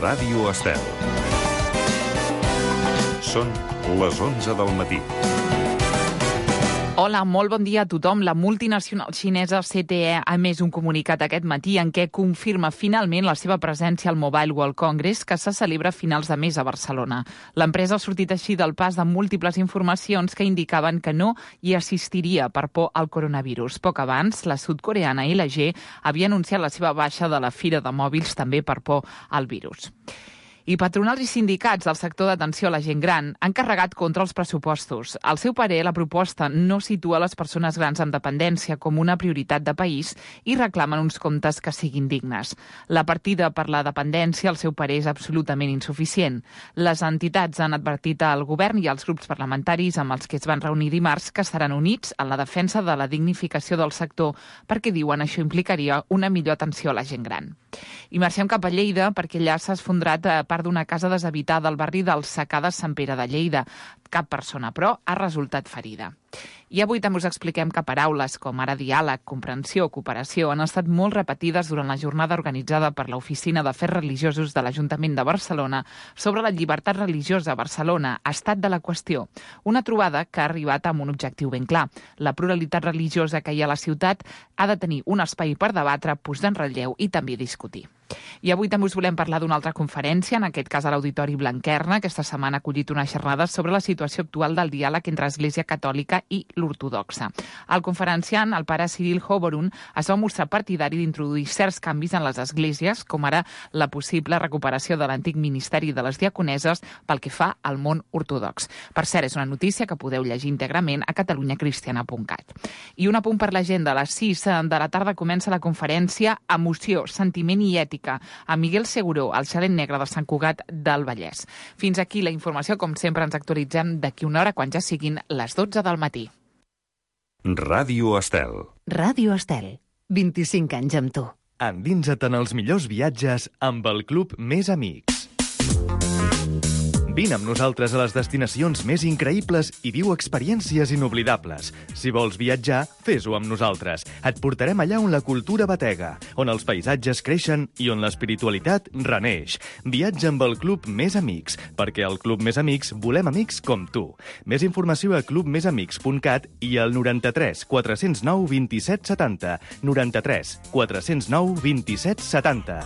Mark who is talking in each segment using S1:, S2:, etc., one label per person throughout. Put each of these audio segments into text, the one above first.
S1: Ràdio Estel. Són les 11 del matí.
S2: Hola, molt bon dia a tothom. La multinacional xinesa CTE ha emès un comunicat aquest matí en què confirma finalment la seva presència al Mobile World Congress, que se celebra a finals de mes a Barcelona. L'empresa ha sortit així del pas de múltiples informacions que indicaven que no hi assistiria per por al coronavirus. Poc abans, la sud-coreana LG havia anunciat la seva baixa de la fira de mòbils també per por al virus. I patronals i sindicats del sector d'atenció a la gent gran han carregat contra els pressupostos. Al seu parer, la proposta no situa les persones grans amb dependència com una prioritat de país i reclamen uns comptes que siguin dignes. La partida per la dependència, al seu parer, és absolutament insuficient. Les entitats han advertit al govern i als grups parlamentaris amb els que es van reunir dimarts que estaran units en la defensa de la dignificació del sector perquè diuen això implicaria una millor atenció a la gent gran. I marxem cap a Lleida perquè allà s'ha esfondrat part d'una casa deshabitada al barri del Secà de Sant Pere de Lleida. Cap persona, però, ha resultat ferida. I avui també us expliquem que paraules com ara diàleg, comprensió, cooperació han estat molt repetides durant la jornada organitzada per l'Oficina d'Afers Religiosos de l'Ajuntament de Barcelona sobre la llibertat religiosa a Barcelona, estat de la qüestió. Una trobada que ha arribat amb un objectiu ben clar. La pluralitat religiosa que hi ha a la ciutat ha de tenir un espai per debatre, posar en relleu i també discutir. I avui també us volem parlar d'una altra conferència, en aquest cas a l'Auditori Blanquerna. Aquesta setmana ha acollit una xerrada sobre la situació actual del diàleg entre l'Església Catòlica i l'Ortodoxa. El conferenciant, el pare Cyril Hovorun, es va mostrar partidari d'introduir certs canvis en les esglésies, com ara la possible recuperació de l'antic ministeri de les diaconeses pel que fa al món ortodox. Per cert, és una notícia que podeu llegir íntegrament a catalunyacristiana.cat. I un apunt per l'agenda. A les 6 de la tarda comença la conferència Emoció, Sentiment i Ètica, a Miguel Seguró, al Xalet Negre de Sant Cugat del Vallès. Fins aquí la informació. Com sempre, ens actualitzem d'aquí una hora quan ja siguin les 12 del matí.
S1: Ràdio Estel.
S3: Ràdio Estel. 25 anys amb tu.
S4: Endinsa't en els millors viatges amb el Club Més Amics. Vine amb nosaltres a les destinacions més increïbles i viu experiències inoblidables. Si vols viatjar, fes-ho amb nosaltres. Et portarem allà on la cultura batega, on els paisatges creixen i on l'espiritualitat reneix. Viatja amb el Club Més Amics, perquè al Club Més Amics volem amics com tu. Més informació a clubmesamics.cat i al 93 409 27 70. 93 409 27 70.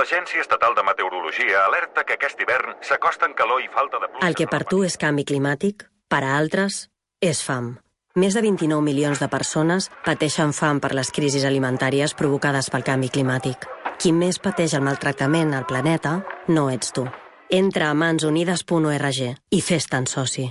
S1: L'Agència Estatal de Meteorologia alerta que aquest hivern s'acosten calor i falta de pluja.
S5: El que per tu és canvi climàtic, per a altres és fam. Més de 29 milions de persones pateixen fam per les crisis alimentàries provocades pel canvi climàtic. Qui més pateix el maltractament al planeta no ets tu. Entra a mansunides.org i fes-te'n soci.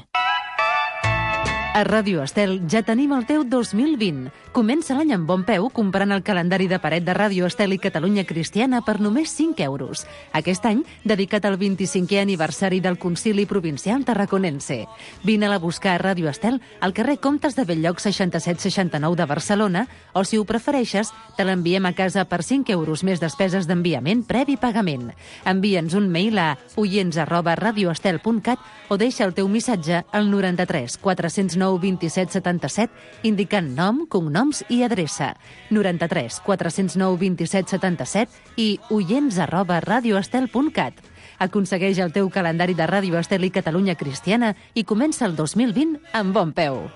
S3: A Ràdio Estel ja tenim el teu 2020. Comença l'any amb bon peu comprant el calendari de paret de Ràdio Estel i Catalunya Cristiana per només 5 euros. Aquest any, dedicat al 25è aniversari del Concili Provincial Tarraconense. Vine-la a buscar a Ràdio Estel al carrer Comtes de Belllloc 6769 de Barcelona o, si ho prefereixes, te l'enviem a casa per 5 euros més despeses d'enviament previ pagament. Envia'ns un mail a oients@radioestel.cat o deixa el teu missatge al 93 409 27 77 indicant nom, cognoms i adreça. 93 409 27 77 i oients@radioestel.cat. Aconsegueix el teu calendari de Ràdio Estel i Catalunya Cristiana i comença el 2020 amb bon peu.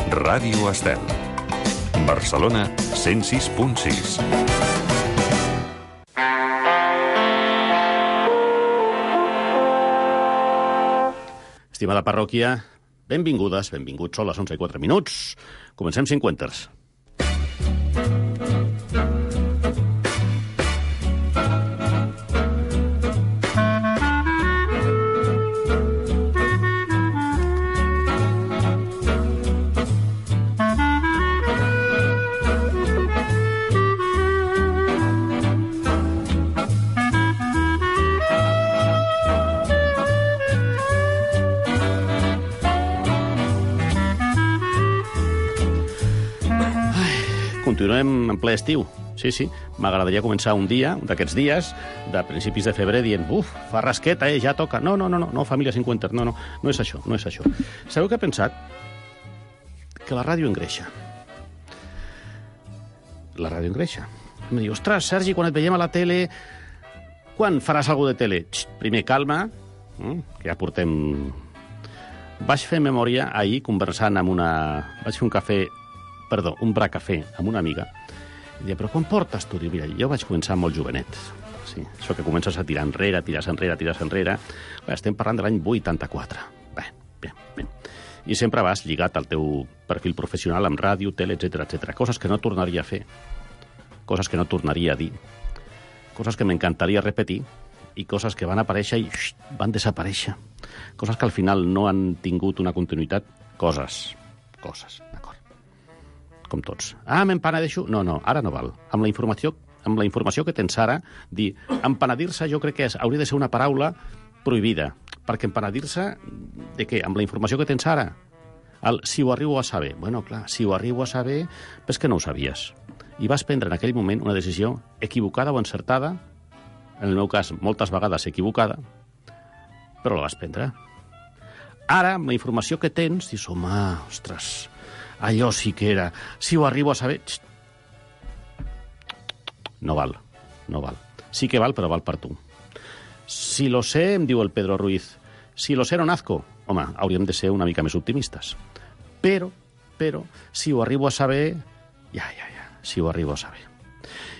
S1: Ràdio Estel. Barcelona 106.6.
S6: Estimada parròquia, benvingudes, benvinguts, són les 11:04. Comencem 50. Continuem en ple estiu. Sí. M'agradaria començar un dia, un d'aquests dies, de principis de febrer, dient, fa rasqueta, ja toca. No, família 50, no és això. Sabeu què he pensat? que la ràdio engreixa. La ràdio engreixa. Em diu, ostres, Sergi, quan et veiem a la tele, quan faràs alguna de tele? Primer, calma, que ja portem... Vaig fer memòria ahir conversant amb una... Vaig fer un bracafè amb una amiga. I deia, però quan portes tu? Diu, mira, jo vaig començar molt jovenet. Sí, això que comences a tirar enrere. Estem parlant de l'any 84. Bé. I sempre vas lligat al teu perfil professional amb ràdio, tele, etc. Coses que no tornaria a fer. Coses que no tornaria a dir. Coses que m'encantaria repetir i coses que van aparèixer i van desaparèixer. Coses que al final no han tingut una continuïtat. Coses, d'acord. Com tots. M'empenedeixo? No, ara no val. Amb la informació que tens ara, dir empenedir-se jo crec que hauria de ser una paraula prohibida. Perquè empenedir-se de què? Amb la informació que tens ara. Si ho arribo a saber. Bueno, clar, si ho arribo a saber, és que no ho sabies. I vas prendre en aquell moment una decisió equivocada o encertada, en el meu cas, moltes vegades equivocada, però la vas prendre. Ara, amb la informació que tens, dius, home, ostres, allò sí que era... Si ho arribo a saber... No val. Sí que val, però val per tu. Si lo sé, em diu el Pedro Ruiz, si lo sé no nazco. Home, hauríem de ser una mica més optimistes. Però, si ho arribo a saber... si ho arribo a saber.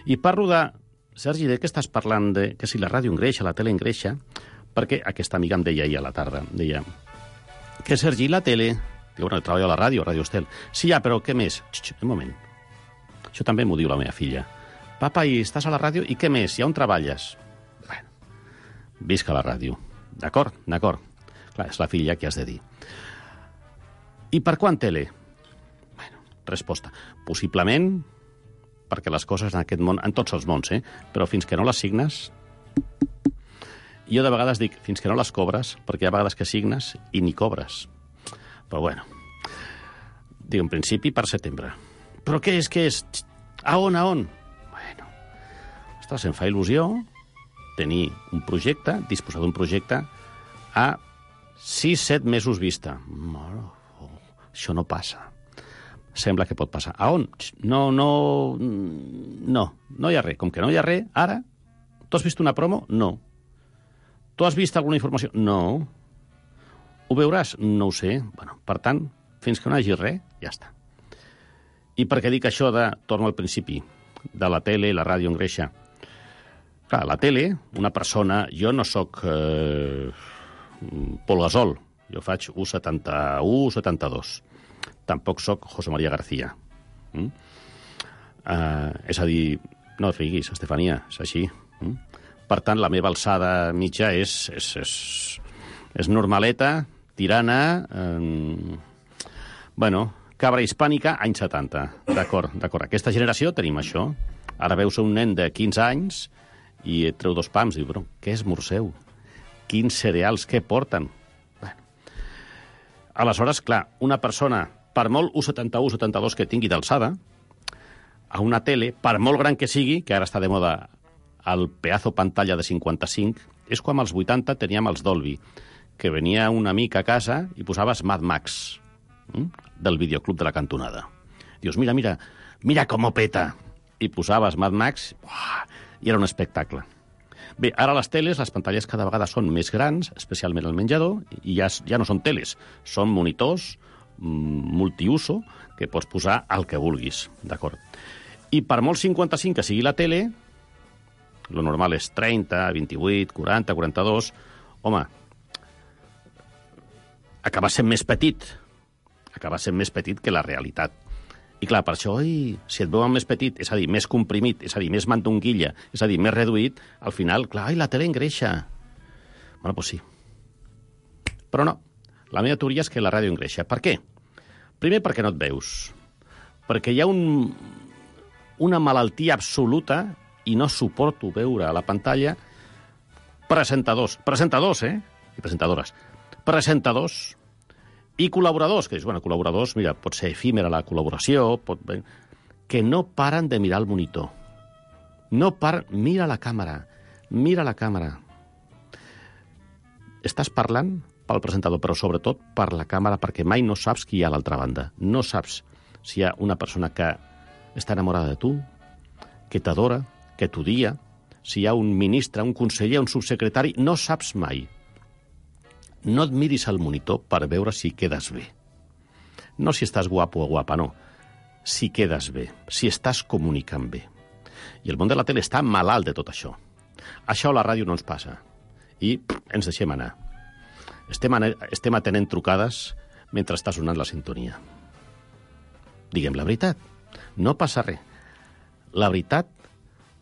S6: I parlo de... Sergi, de què estàs parlant? Que si la ràdio engreixa, la tele engreixa, perquè aquesta amiga em deia ahir a la tarda, deia que Sergi, la tele... Diu, bueno, treballo a la ràdio, a Ràdio Estel. Sí, ja, però què més? Un moment. Això també m'ho diu la meva filla. Papa, i estàs a la ràdio, i què més? I on treballes? Bueno, visca la ràdio. D'acord. Clar, és la filla que has de dir. I per quan tele? Bueno, resposta. Possiblement, perquè les coses en aquest món, en tots els mons, però fins que no les signes... Jo de vegades dic, fins que no les cobres, perquè hi ha vegades que signes i ni cobres. Però bueno, dic, en principi per setembre. Però què és? A on? Bueno, ostres, em fa il·lusió tenir un projecte, disposar d'un projecte a 6-7 mesos vista. Això no passa. Sembla que pot passar. A on? No hi ha res. Com que no hi ha res, ara, tu has vist una promo? No. Tu has vist alguna informació? No. Ho veuràs? No ho sé. Bueno, per tant, fins que no hi hagi res, ja està. I per què dic això de, torno al principi, de la tele, la ràdio engreixa? Clar, la tele, una persona... Jo no sóc Pol Gasol. Jo faig 1,71, 72. Tampoc sóc José María García. És a dir, no et riguis, Estefania, és així. Per tant, la meva alçada mitja és normaleta, tirana, cabra hispànica, anys 70. D'acord. Aquesta generació tenim això. Ara veus un nen de 15 anys i et treu 2 pams. Diu, però què esmorzeu? Quins cereals, què porten? Aleshores, clar, una persona, per molt 1,71, 72 que tingui d'alçada, a una tele, per molt gran que sigui, que ara està de moda el pedazo pantalla de 55, és com als 80 teníem els Dolby, que venia un amic a casa i posaves Mad Max, del videoclub de la cantonada. Dius, mira com ho peta. I posaves Mad Max, i era un espectacle. Bé, ara les teles, les pantalles cada vegada són més grans, especialment al menjador, i ja no són teles, són monitors multiuso que pots posar el que vulguis, d'acord? I per molt 55 que sigui la tele, lo normal és 30, 28, 40, 42... Home, acaba sent més petit. Acaba sent més petit que la realitat. I clar, per això, si et veuen més petit, és a dir, més comprimit, és a dir, més mandonguilla, és a dir, més reduït, al final, clar, la tele engreixa. Bueno, doncs sí. Però no. La meva teoria és que la ràdio engreixa. Per què? Primer, perquè no et veus. Perquè hi ha una malaltia absoluta i no suporto veure a la pantalla presentadors, i presentadores, presentadors i col·laboradors, que dius, col·laboradors, mira, pot ser efímera la col·laboració, que no paren de mirar el monitor. Mira la càmera. Estàs parlant, pel presentador, però sobretot per la càmera, perquè mai no saps qui hi ha a l'altra banda. No saps si hi ha una persona que està enamorada de tu, que t'adora, que t'odia, si hi ha un ministre, un conseller, un subsecretari, no saps mai. No et miris al monitor per veure si quedes bé. No si estàs guapo o guapa, no. Si quedes bé, si estàs comunicant bé. I el món de la tele està malalt de tot això. Això a la ràdio no ens passa. I ens deixem anar. Estem atenent trucades mentre està sonant la sintonia. Diguem la veritat. No passa res. La veritat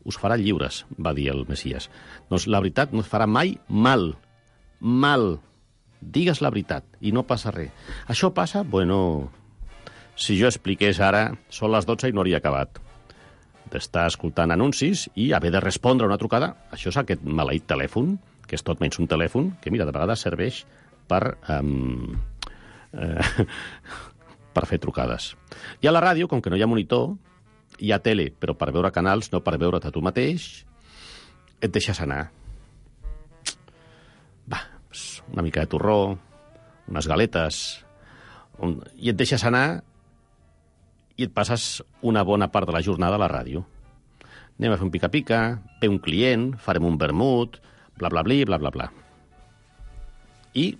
S6: us farà lliures, va dir el Messias. Doncs la veritat no us farà mai mal. Mal. Digues la veritat i no passa res. Això passa, bueno, si jo expliqués ara, són les 12 i no hauria acabat d'estar escoltant anuncis i haver de respondre a una trucada. Això és aquest maleït telèfon, que és tot menys un telèfon, que, mira, de vegades serveix per fer trucades. I a la ràdio, com que no hi ha monitor, hi ha tele, però per veure canals, no per veure't a tu mateix, et deixes anar. Va, una mica de torró, unes galetes, i et deixes anar i et passes una bona part de la jornada a la ràdio. Anem a fer un pica-pica, ve un client, farem un vermut, bla, bla, bla, bla, bla. I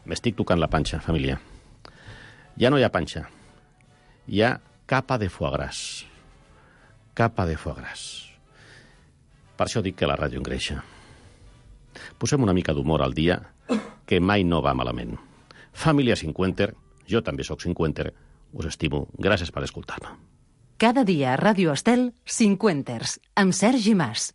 S6: m'estic tocant la panxa, família. Ja no hi ha panxa. Hi ha capa de foie gras. Capa de foie gras. Per això dic que la ràdio engreixa. Posem una mica d'humor al dia, que mai no va malament. Família Cinquenter, jo també sóc cinquenter, us estimo. Gràcies per escoltar-me.
S3: Cada dia a Ràdio Estel, Cinquenters, amb Sergi Mas.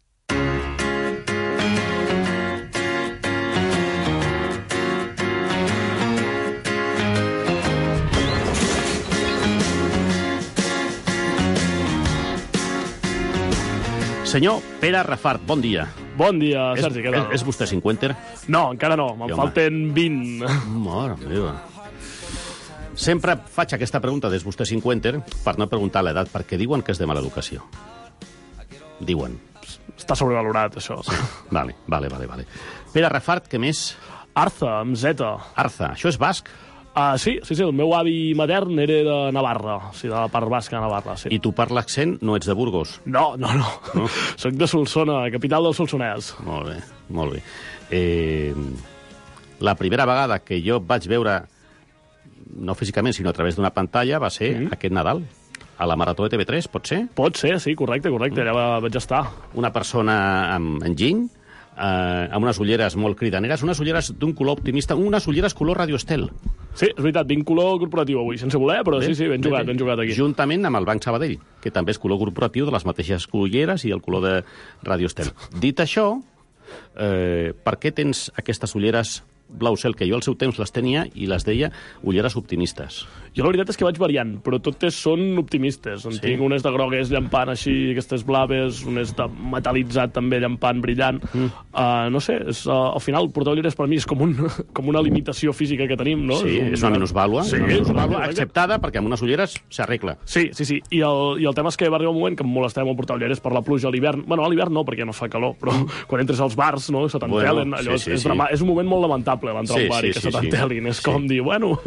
S6: Senyor Pere Rafart, bon dia.
S7: Bon dia, Sergi, què tal?
S6: És vostè cinquenter?
S7: No, encara no, me'n falten 20.
S6: Mare meva. Sempre faig aquesta pregunta des vostè cinquenter per no preguntar l'edat, perquè diuen que és de mala educació. Diuen.
S7: Està sobrevalorat, això.
S6: Sí. Vale. Pere Rafart, què més?
S7: Arza, amb Z.
S6: Arza, això és basc?
S7: Sí, el meu avi matern era de Navarra, de la part basca de Navarra, sí.
S6: I tu per l'accent no ets de Burgos?
S7: No? Soc de Solsona, capital del Solsonès.
S6: Molt bé. La primera vegada que jo vaig veure, no físicament, sinó a través d'una pantalla, va ser aquest Nadal, a la Marató de TV3, pot ser?
S7: Pot ser, sí, correcte, allà vaig estar.
S6: Una persona amb enginy, amb unes ulleres molt cridaneres, unes ulleres d'un color optimista, unes ulleres color Radio Estel.
S7: Sí, és veritat, vinc color corporatiu avui, sense voler, però bé, sí, ben jugat aquí.
S6: Juntament amb el Banc Sabadell, que també és color corporatiu de les mateixes ulleres i el color de Radio Estel. Dit això, per què tens aquestes ulleres blau cel, que jo al seu temps les tenia i les deia ulleres optimistes?
S7: Jo la veritat és que vaig variant, però totes són optimistes. En tinc unes de grogues llampant així, aquestes blaves, unes de metal·litzat també llampant, brillant. No sé, al final portar ulleres per mi és com una limitació física que tenim, no?
S6: Sí, és una minusvàlua, acceptada perquè amb unes ulleres s'arregla.
S7: Sí. I el tema és que va arribar un moment que em molestava molt portar ulleres per la pluja a l'hivern. Bueno, a l'hivern no, perquè no fa calor, però quan entres als bars, no, se t'entelen, allò és un moment molt lamentable, l'entrar a un bar i que se t'entelin. És com dir, bueno...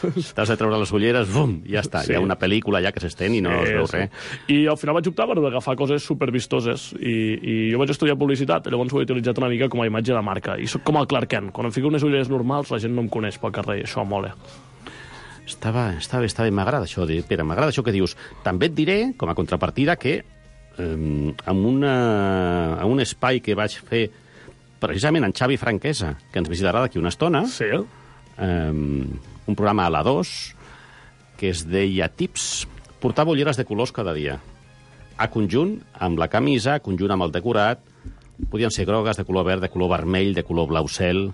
S6: T'has de treure les ulleres, bum, ja està. Hi ha una pel·lícula ja que s'estén i no es veu res.
S7: I al final vaig optar per agafar coses supervistoses. I jo vaig estudiar publicitat, llavors ho he utilitzat una mica com a imatge de marca. I soc com el Clark Kent. Quan em fico unes ulleres normals, la gent no em coneix pel carrer, i això mola.
S6: Està bé, m'agrada això, Pere, m'agrada això que dius. També et diré, com a contrapartida, que en un espai que vaig fer precisament en Xavi Franquesa, que ens visitarà d'aquí una estona, un programa a la 2, que es deia Tips, portava ulleres de colors cada dia. A conjunt amb la camisa, a conjunt amb el decorat, podien ser grogues, de color verd, de color vermell, de color blau cel.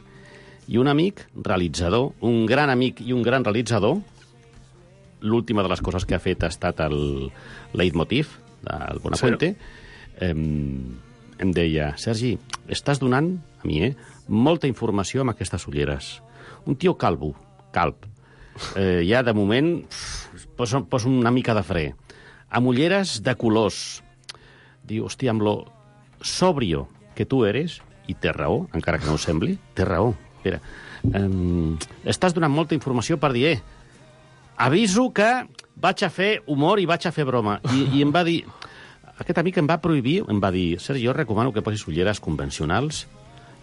S6: I un amic realitzador, un gran amic i un gran realitzador, l'última de les coses que ha fet ha estat el leitmotiv del Bonafuente, em deia, Sergi, estàs donant, a mi, molta informació amb aquestes ulleres. Un tio calb. Ja, de moment, posa una mica de fre. Amb ulleres de colors. Diu, hòstia, amb lo sobrio que tu eres, i té raó, encara que no ho sembli, té raó. Espera, estàs donant molta informació per dir, aviso que vaig a fer humor i vaig a fer broma. I em va dir, aquest amic em va prohibir, em va dir, Sergi, jo recomano que posis ulleres convencionals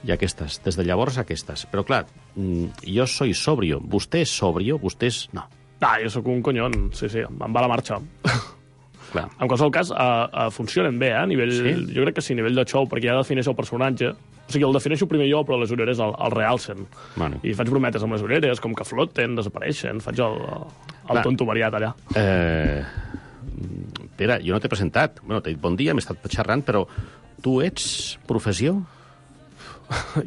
S6: i aquestes, des de llavors aquestes. Però clar, jo soy sobrio, vostè és sobrio, vostè és... No.
S7: Jo sóc un conyon, sí, em va la marxa.
S6: Clar.
S7: En qualsevol cas, funcionen bé, a nivell... Sí? Jo crec que sí, a nivell de show, perquè ja defineixo el personatge. O sigui, el defineixo primer jo, però les ulleres el realcen.
S6: Bueno.
S7: I faig brometes amb les ulleres, com que floten, desapareixen, faig el tonto variat allà.
S6: Pere, jo no t'he presentat. Bueno, t'he dit bon dia, m'he estat xerrant, però tu ets professió?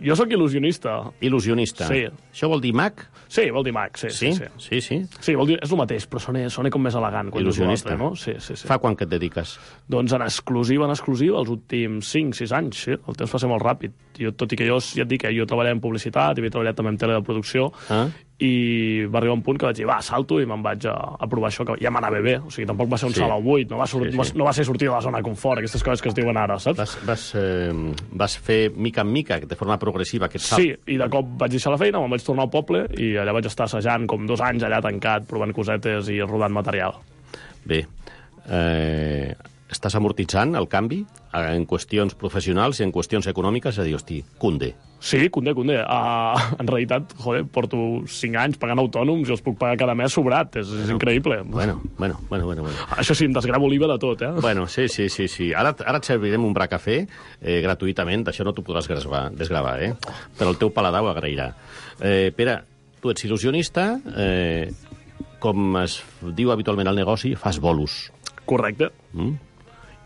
S7: Jo sóc il·lusionista.
S6: Il·lusionista.
S7: Sí.
S6: Això vol dir mag?
S7: Sí, vol dir mag, sí.
S6: Sí?
S7: Sí, vol dir, és el mateix, però sona com més elegant.
S6: Il·lusionista.
S7: No? Sí.
S6: Fa quan que et dediques?
S7: Doncs en exclusiva, els últims 5-6 anys, sí. El temps passa molt ràpid. Jo, tot i que jo, ja et dic, jo treballava en publicitat, havia treballat també en tele de producció, i va arribar un punt que vaig dir, salto, i me'n vaig a provar això, que ja m'anava bé. O sigui, tampoc va ser un salt al buit, no va ser sortir de la zona de confort, aquestes coses que es diuen ara, saps?
S6: Vas fer mica en mica, de forma progressiva, aquest salt?
S7: Sí, i de cop vaig deixar la feina, me'n vaig tornar al poble, i allà vaig estar assajant com 2 anys allà tancat, provant cosetes i rodant material.
S6: Bé, estàs amortitzant el canvi en qüestions professionals i en qüestions econòmiques? És a dir, hosti, cunde.
S7: Sí, cunde. En realitat, porto 5 anys pagant autònoms i els puc pagar cada mes sobrat. És increïble.
S6: Bueno.
S7: Això sí, em desgravo l'IVA de tot,
S6: Bueno, sí. Ara et servirem un bracafè gratuïtament, d'això no t'ho podràs desgravar, Però el teu paladar ho agrairà. Pere, tu ets il·lusionista, com es diu habitualment al negoci, fas bolos.
S7: Correcte.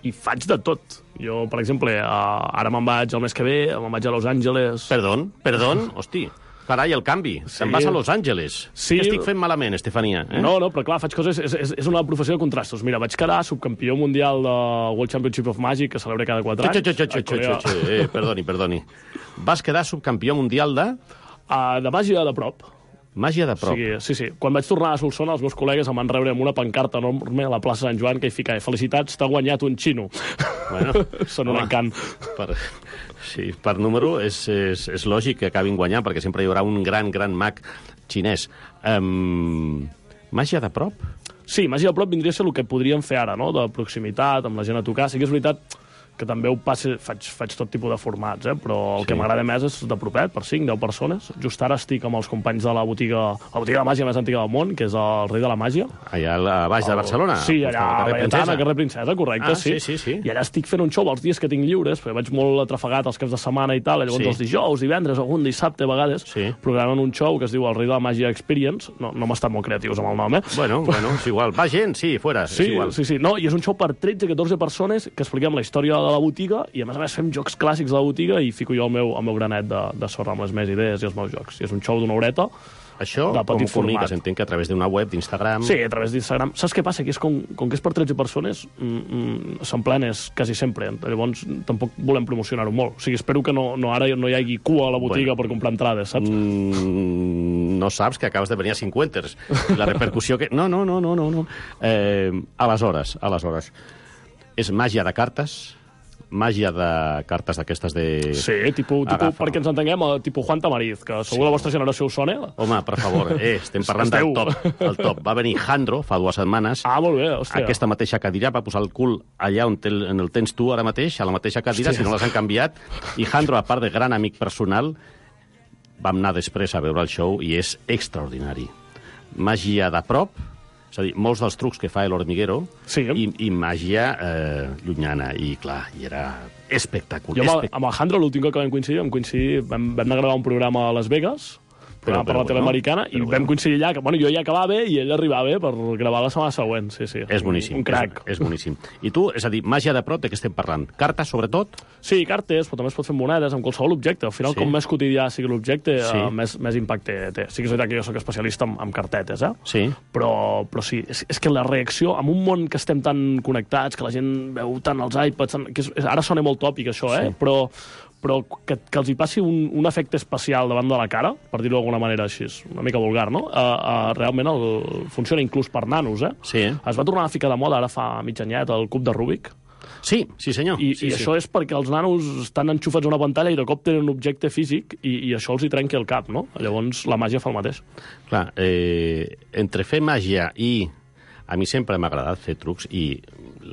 S7: I faig de tot. Jo, per exemple, ara me'n vaig el mes que ve, me'n vaig a Los Angeles...
S6: Perdó? Hosti, carai, el canvi. Sí. Te'n vas a Los Angeles.
S7: Sí.
S6: Què estic fent malament, Estefania?
S7: No, però clar, faig coses... És una professió de contrastos. Mira, vaig quedar subcampió mundial de World Championship of Magic, que celebra cada 4 anys.
S6: Perdoni. Vas quedar subcampió mundial de...
S7: De màgia de prop.
S6: Màgia de prop.
S7: Sí. Quan vaig tornar a Solsona, els meus col·legues em van rebre amb una pancarta enorme a la plaça Sant Joan que hi fica felicitats, t'ha guanyat un xino.
S6: Bueno,
S7: són un encant.
S6: Per número és lògic que acabin guanyant, perquè sempre hi haurà un gran mag xinès. Màgia de prop?
S7: Sí, màgia de prop vindria a ser el que podríem fer ara, no? De proximitat, amb la gent a tocar. Sí que és veritat que també faig tot tipus de formats, però el que m'agrada més és de propet, per 5-10 persones. Just ara estic amb els companys de la botiga de màgia més antiga del món, que és el Rei de la Màgia.
S6: Allà a baix de Barcelona?
S7: Sí, allà a Laietana, carrer Princesa, correcte, sí.
S6: Sí.
S7: I allà estic fent un show els dies que tinc lliures, perquè vaig molt atrafegat els caps de setmana i tal, llavors els dijous, divendres, algun dissabte, a vegades, programen un show que es diu el Rei de la Màgia Experience. No hem estat molt creatius amb el nom,
S6: Bueno, és igual. Va gent, sí, fora.
S7: Sí. No, i és un show per 13-14 persones que expliquem la història de la botiga i, a més fem jocs clàssics de la botiga i fico jo el meu granet de sorra amb les meves idees i els meus jocs. I és un show d'una horeta.
S6: Això, com comuniques? Entenc que a través d'una web, d'Instagram...
S7: Sí, a través d'Instagram. Saps què passa? Que és com que és per 13 persones, s'emplenes quasi sempre. Llavors, tampoc volem promocionar-ho molt. O sigui, espero que ara no hi hagi cua a la botiga per comprar entrades, saps?
S6: No saps que acabes de venir a 50. La repercussió que... No. Aleshores, és màgia de cartes... Màgia de cartes d'aquestes de...
S7: Sí, tipus perquè ens entenguem, tipus Juan Tamariz, que segur la vostra generació us sona.
S6: Home, per favor, estem parlant del top. Va venir Jandro fa 2 setmanes.
S7: Molt bé, hòstia.
S6: Aquesta mateixa cadira, va posar el cul allà on el tens tu ara mateix, a la mateixa cadira, si no les han canviat. I Jandro, a part de gran amic personal, vam anar després a veure el show i és extraordinari. Màgia de prop, és a dir, molts dels trucs que fa l'Hormiguero i màgia llunyana. I, clar, i era espectacular.
S7: Jo amb el Jandro, l'últim que vam coincidir, vam anar a gravar un programa a Las Vegas, per la tele americana, i vam coincidir allà, que jo ja acabava i ell arribava per gravar la setmana següent. Sí.
S6: És boníssim.
S7: Un crac.
S6: És boníssim. I tu, és a dir, màgia de prop, de què estem parlant? Cartes, sobretot?
S7: Sí, cartes, però també es pot fer monedes amb qualsevol objecte. Al final, com més quotidià sigui l'objecte, més impacte té. Sí que és veritat que jo soc especialista en cartetes,
S6: Sí.
S7: Però sí, és que la reacció, en un món que estem tan connectats, que la gent veu tant els iPads, ara sona molt tòpic això, però que els hi passi un efecte especial davant de la cara, per dir-ho d'alguna manera així, una mica vulgar, no? Realment funciona inclús per nanos,
S6: Sí.
S7: Es va tornar a ficar de moda ara fa mig anyet el cub de Rubik,
S6: Sí, sí senyor.
S7: I
S6: sí.
S7: això és perquè els nanos estan enxufats a una pantalla i de cop tenen un objecte físic i això els hi trenqui el cap, no? Llavors la màgia fa el mateix.
S6: Clar, entre fer màgia i... A mi sempre m'ha agradat fer trucs i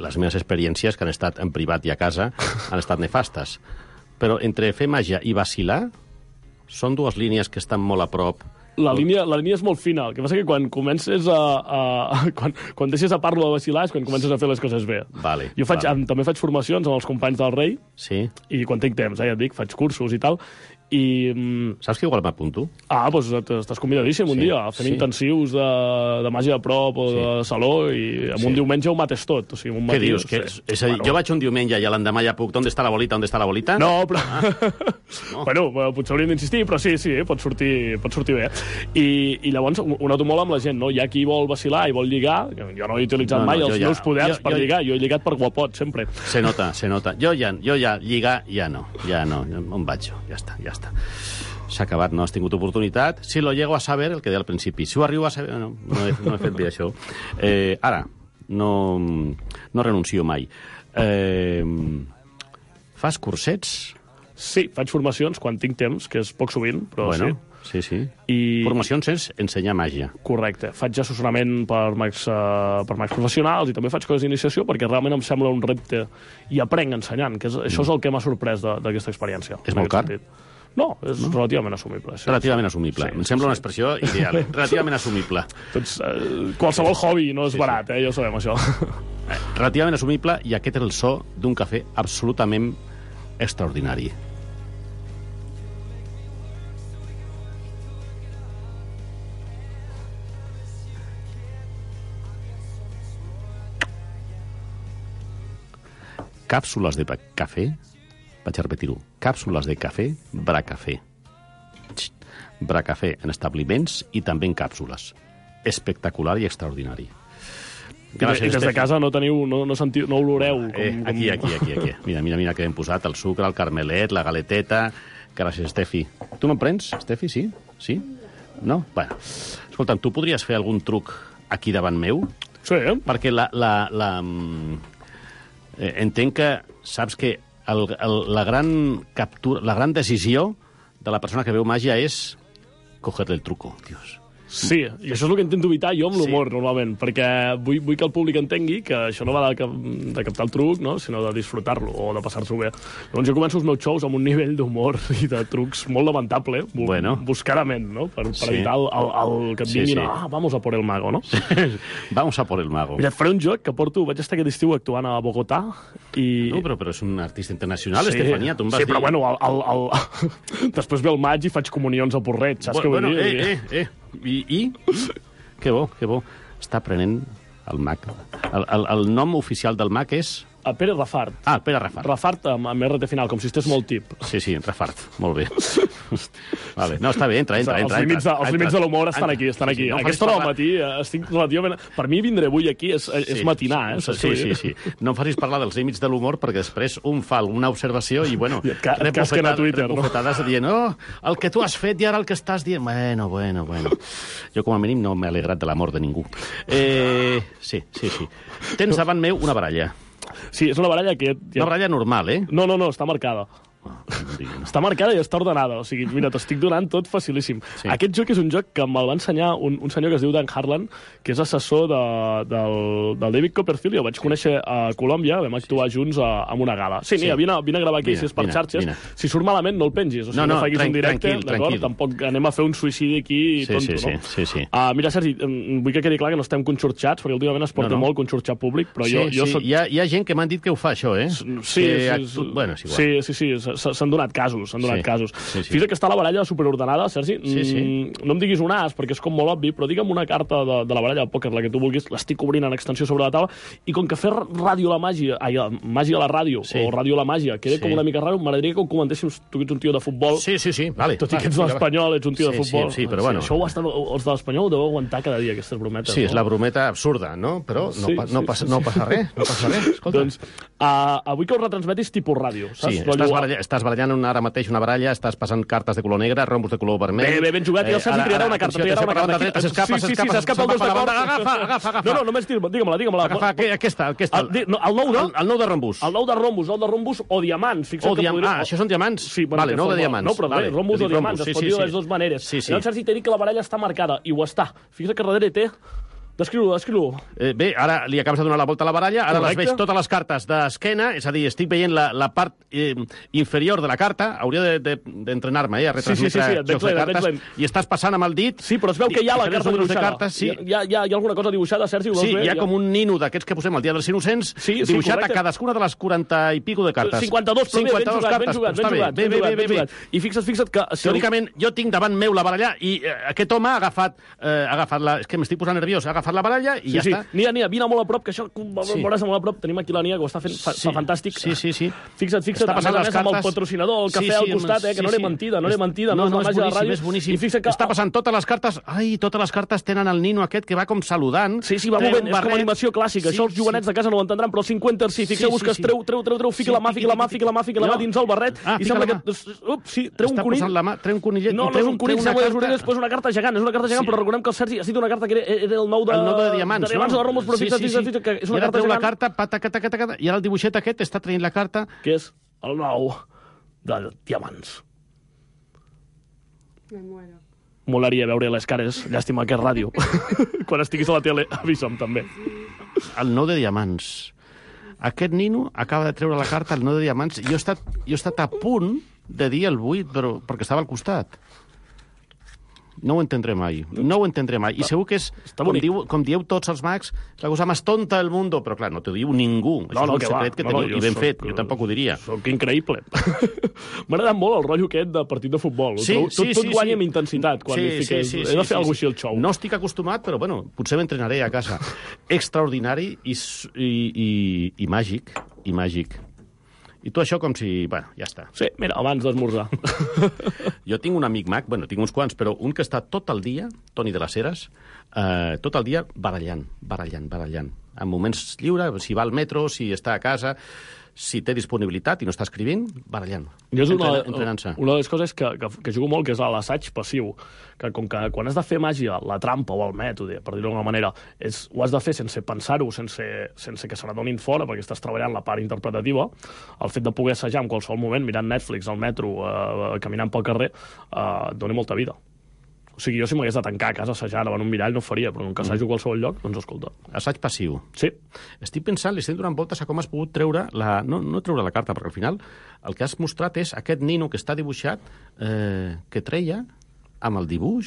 S6: les meves experiències, que han estat en privat i a casa, han estat nefastes. Però entre fer màgia i vacilar són dues línies que estan molt a prop.
S7: La línia és molt fina. El que passa que quan comences quan deixes a parlo de vacilar és quan comences a fer les coses bé.
S6: Vale,
S7: Jo també faig formacions amb els companys del Rei,
S6: sí.
S7: I quan tinc temps, ja et dic, faig cursos i tal, i...
S6: Saps que igual m'apunto?
S7: Doncs estàs convidadíssim un dia. Fem intensius de màgia de prop o de saló i en un diumenge ho mates tot. O sigui, un matí,
S6: què dius? És a dir, jo vaig un diumenge i l'endemà ja puc... ¿Dónde está la bolita? ¿Dónde está la bolita?
S7: No, però... No. Bueno, potser hauríem d'insistir, però sí, pot sortir bé. I llavors ho noto molt amb la gent, no? Hi ha qui vol vacilar i vol lligar. Jo no he utilitzat mai els meus poders per lligar. Jo he lligat per guapot, sempre.
S6: Se nota. Jo ja lligar, ja no. On vaig jo? Ja està. S'ha acabat, no has tingut oportunitat. Si lo llego a saber, el que deia al principi. Si ho arribo a saber... No he fet bé això. Ara, no renuncio mai. Fas cursets?
S7: Sí, faig formacions quan tinc temps, que és poc sovint, però
S6: bueno,
S7: sí.
S6: Sí. Formacions és ensenyar màgia.
S7: Correcte. Faig assessorament per mags professionals i també faig coses d'iniciació perquè realment em sembla un repte i aprenc ensenyant, que això és el que m'ha sorprès d'aquesta experiència.
S6: És molt car?
S7: No, és relativament assumible. Sí,
S6: relativament assumible. Em sembla una expressió ideal. Relativament assumible.
S7: Doncs, qualsevol hobby no és barat, ja ho sabem, això.
S6: Relativament assumible, i aquest és el so d'un cafè absolutament extraordinari. Càpsules de cafè, vaig a repetir-ho, càpsules de cafè Bracafé. Bracafé en establiments i també en càpsules. Espectacular i extraordinari.
S7: Gràcies, I des de casa no oloreu.
S6: Aquí. Mira que hem posat el sucre, el carmelet, la galeteta. Gràcies, Estefi. Tu me'n prens, Estefi, sí? Sí? No? Bueno. Escolta'm, tu podries fer algun truc aquí davant meu?
S7: Sí.
S6: Perquè entenc que saps que la gran decisió de la persona que veu màgia és cogerle el truco, Dios.
S7: Sí, i això és el que intento evitar jo amb l'humor, normalment, perquè vull que el públic entengui que això no va de captar el truc, no? Sinó de disfrutar-lo o de passar-s'ho bé. Llavors jo començo els meus shows amb un nivell d'humor i de trucs molt lamentable, buscadament, no? Per evitar el que et vinguin vamos a por el mago, no?
S6: Vamos a por el mago.
S7: Mira, et faré un joc que vaig estar aquest estiu actuant a Bogotà i...
S6: No, però és un artista internacional, Estefania, tu em vas dir...
S7: Sí, però bueno, després ve el maig i faig comunions a Porret, saps què vull dir?
S6: I? Que bo. Està aprenent el mag. El nom oficial del mag és...
S7: Pere Rafart.
S6: Pere Rafart.
S7: Rafart amb RT final, com si estés molt tip.
S6: Sí, Rafart. Molt bé. Vale. No, està bé, entra.
S7: Els límits de l'humor estan aquí. Sí, no, aquesta hora del matí estic relativament... Per mi vindre avui aquí és matinar,
S6: Sí. No em facis parlar dels límits de l'humor perquè després un fa una observació i, bueno,
S7: rep
S6: bufetades dient el que tu has fet i ara el que estàs dient... Bueno. Jo, com a mínim, no m'he alegrat de la mort de ningú. Sí. Tens davant meu una baralla.
S7: Sí, és una baralla que...
S6: Una baralla normal, eh?
S7: No, està marcada. Està marcada i està ordenada. O sigui, mira, t'estic donant tot facilíssim. Sí. Aquest joc és un joc que me'l va ensenyar un senyor que es diu Dan Harlan, que és assessor del David Copperfield. Jo vaig conèixer a Colòmbia, vam actuar junts en una gala. Sí, mira, vine a gravar aquí, si és per xarxes. Si surt malament, no el pengis. O sigui, no facis un directe, d'acord? Tampoc anem a fer un suïcidi aquí tonto, no?
S6: Sí.
S7: Mira, Sergi, vull que quedi clar que no estem conxorxats, perquè últimament es porta molt conxorxar públic, però jo soc...
S6: Hi ha gent que m'han dit que ho fa, això, eh?
S7: Sí. Sí, s'han donat casos. Sí. Fixa't que està la baralla superordenada, Sergi.
S6: Sí.
S7: No em diguis un as, perquè és com molt obvi, però digue'm una carta de la baralla de pòquer, la que tu vulguis, l'estic obrint en extensió sobre la taula, i com que fer ràdio a la màgia, màgia a la ràdio, o ràdio a la màgia, queda com una mica raro, m'agradaria que ho comentéssim, tu ets un tio de futbol.
S6: Sí, vale.
S7: Tot i que ets de l'Espanyol, ets un tio de futbol.
S6: Sí, però bueno.
S7: Això els de l'Espanyol ho deveu aguantar cada dia, aquestes brometes.
S6: Sí, és la brometa absurda, no? Però no passa res. Escolta.
S7: Doncs, avui que ho retransmetis tipus ràdio, saps?
S6: Sí, estàs barallant ara mateix una baralla, estàs passant cartes de color negre, rombos de color vermell...
S7: Bé, ben jugat, i el Sergi triarà una carta.
S6: S'escapa
S7: el dos d'acord.
S6: Agafa.
S7: No, només digue-me-la.
S6: Agafa, aquesta.
S7: El 9
S6: de rombos.
S7: El 9 de rombos o diamants.
S6: Això són diamants?
S7: Sí,
S6: vale, 9 de diamants.
S7: No, però bé, rombos o diamants, es pot dir de les dues maneres. El Sergi t'ha dit que la baralla està marcada, i ho està. Fixa't que darrere té... Descriu-ho.
S6: Bé, ara li acabes de donar la volta a la baralla, ara les veig totes les cartes d'esquena, és a dir, estic veient la part inferior de la carta, hauria d'entrenar-me, a retransmetre jocs de cartes, i estàs passant amb el dit...
S7: Sí, però es veu que hi ha la carta dibuixada. Hi ha alguna cosa dibuixada, Sergi?
S6: Sí, hi ha com un nino d'aquests que posem el dia dels innocents, dibuixat a cadascuna de les 40 i pico de cartes.
S7: 52, però ben jugat.
S6: Bé.
S7: I fixa't que...
S6: Teòricament, jo tinc davant meu la baralla i aquest home ha agafat la... És que m'estic posant nerviós, ha agafat la baralla i ja està.
S7: Nia, vine molt a prop, que això veuràs molt a prop. Tenim aquí la Nia, que ho està fent fantàstic.
S6: Sí.
S7: Fixa't,
S6: està passant
S7: a més amb el patrocinador, el cafè al costat, que no era mentida, no és la màgia de la ràdio.
S6: És boníssim. Està passant totes les cartes... Ai, totes les cartes tenen el nino aquest que va com saludant.
S7: Sí, va movent, és com animació clàssica. Això els jovenets de casa no ho entendran, però el 50 sí. Fixeu-vos que es treu, fica la mà dins el barret, i sembla que... Sí, treu un conill.
S6: Treu un conillet.
S7: No és un conill, sembla que les orelles, després una carta gegant. És una carta gegant, però recordem que el Sergi ha dit una carta que era el 9 de diamants, o de rombos, però fixa't, que és una carta gegant.
S6: La carta, i ara el dibuixet aquest està traient la carta...
S7: Que és el 9 de diamants.
S8: Me muero.
S7: Molaria veure les cares, llàstima que és ràdio. Quan estiguis a la tele, avisa'm també.
S6: El 9 de diamants. Aquest nino acaba de treure la carta, el 9 de diamants. Jo he estat a punt de dir el 8, però perquè estava al costat. No ho entendré mai. I segur que és, com dieu tots els mags, la cosa més tonta del món, però clar, no t'ho diu ningú. Això és un secret que teniu, i ben fet, jo tampoc ho diria.
S7: Soc increïble. M'ha agradat molt el rotllo aquest de partit de futbol. Tot guanya amb intensitat quan li fiques. He de fer alguna cosa així al xou.
S6: No estic acostumat, però bueno, potser m'entrenaré a casa. Extraordinari i màgic. I tu això com si... Bueno, ja està.
S7: Sí, mira, abans d'esmorzar.
S6: Jo tinc un amic mag, bueno, tinc uns quants, però un que està tot el dia, Toni de les Heres, tot el dia barallant. En moments lliures, si va al metro, si està a casa, si té disponibilitat i no està escrivint, barallant. Entrenant-se.
S7: Una de les coses que jugo molt, que és l'assaig passiu, que com que quan has de fer màgia, la trampa o el mètode, per dir-ho d'alguna manera, ho has de fer sense pensar-ho, sense que se n'adonin fora, perquè estàs treballant la part interpretativa, el fet de poder assajar en qualsevol moment, mirant Netflix, al metro, caminant pel carrer, dona molta vida. O sigui, jo si m'hagués de tancar a casa assajant davant un mirall no ho faria, però com que assajo a qualsevol lloc, doncs escolta.
S6: Assaig passiu.
S7: Sí.
S6: Estic pensant, li estic donant voltes a com has pogut treure no treure la carta, perquè al final el que has mostrat és aquest nino que està dibuixat, que treia amb el dibuix,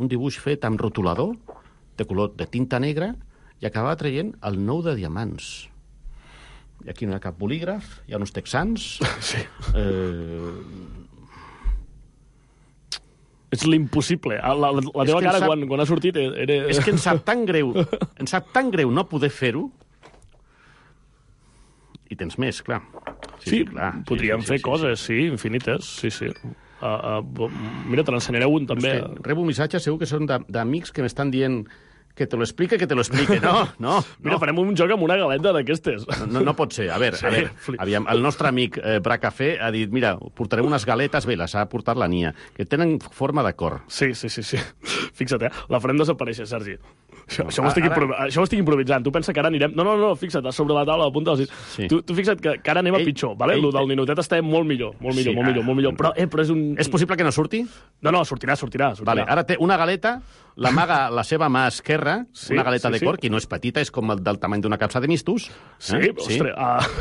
S6: un dibuix fet amb rotulador, de color de tinta negra, i acabava traient el 9 de diamants. I aquí no hi ha cap bolígraf, hi ha uns texans...
S7: Sí. És l'impossible. La teva cara quan ha sortit era...
S6: És que em sap tan greu no poder fer-ho. I tens més, clar.
S7: Sí, podríem fer coses, sí, infinites, sí. Mira, te n'ensenyaré un, també.
S6: Rebo missatges, segur que són d'amics que m'estan dient... Que te lo explique. No.
S7: Mira, farem un joc amb una galeta d'aquestes.
S6: No pot ser. A veure, aviam, el nostre amic Bracafé ha dit, mira, portarem unes galetes, bé, les ha portat la Nia, que tenen forma de cor.
S7: Sí. Fixa't, la farem desaparèixer, Sergi. Això ho estic improvisant. Tu pensa que ara anirem... No, fixa't, sobre la taula, apunta. Sí. Tu fixa't que ara anem a pitjor, vale? Lo del ninotet està molt millor. Però és un...
S6: És possible que no surti?
S7: No, sortirà.
S6: Vale, ara té una galeta, l'amaga la seva mà esquerra, una galeta de cor, que no és petita, és com del tamany d'una capsa de mistos.
S7: Ostres.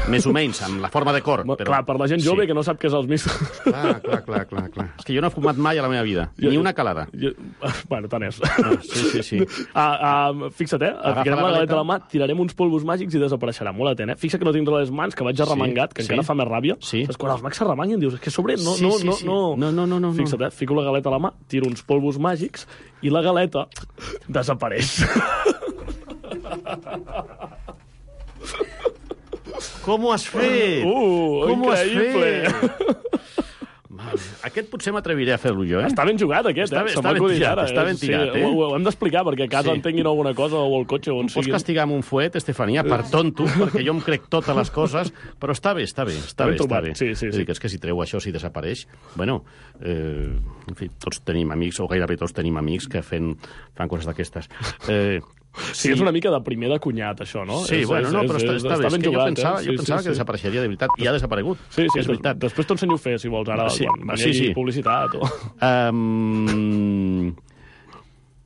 S6: Més o menys, amb la forma de cor. Però...
S7: Clar, per la gent jove que no sap què és els mistos.
S6: Clar. És que jo no he fumat mai a la meva vida, ni una calada.
S7: Bueno, tant és.
S6: Sí.
S7: Fixa't, ficarem la galeta a la mà, tirarem uns polvos màgics i desapareixerà. Molt atent, Fixa't que no tinc les mans, que vaig arremangat, que encara fa més ràbia.
S6: Sí.
S7: Quan els mags s'arremanguen, dius, és que sobre no. Fixa't, fico la galeta a la mà, tiro uns polvos màgics i la galeta desapareix.
S6: Com ho has fet?
S7: Com ho has fet?
S6: Aquest potser m'atreviré a fer-lo jo,
S7: Està ben jugat, aquest,
S6: Està
S7: Se m'ha
S6: ben
S7: acudit
S6: tirat,
S7: ara.
S6: està ben tirat,
S7: Ho hem d'explicar, perquè a casa entenguin alguna cosa, o al cotxe, o on
S6: Pots
S7: sigui.
S6: castigar amb un fuet, Estefania, per tonto, perquè jo em crec totes les coses, però està bé.
S7: ben trobat, sí.
S6: És que si treu això, si desapareix... Bueno, en fi, tots tenim amics, o gairebé tots tenim amics que fan coses d'aquestes.
S7: Sí, és una mica de primer de cunyat, això, no?
S6: Sí, però està bé.
S7: ben
S6: Jo
S7: jugat,
S6: pensava que desapareixeria de veritat, i ha desaparegut.
S7: Sí,
S6: és veritat.
S7: Després t'ho ensenyo a fer, si vols, ara, quan hi hagi publicitat.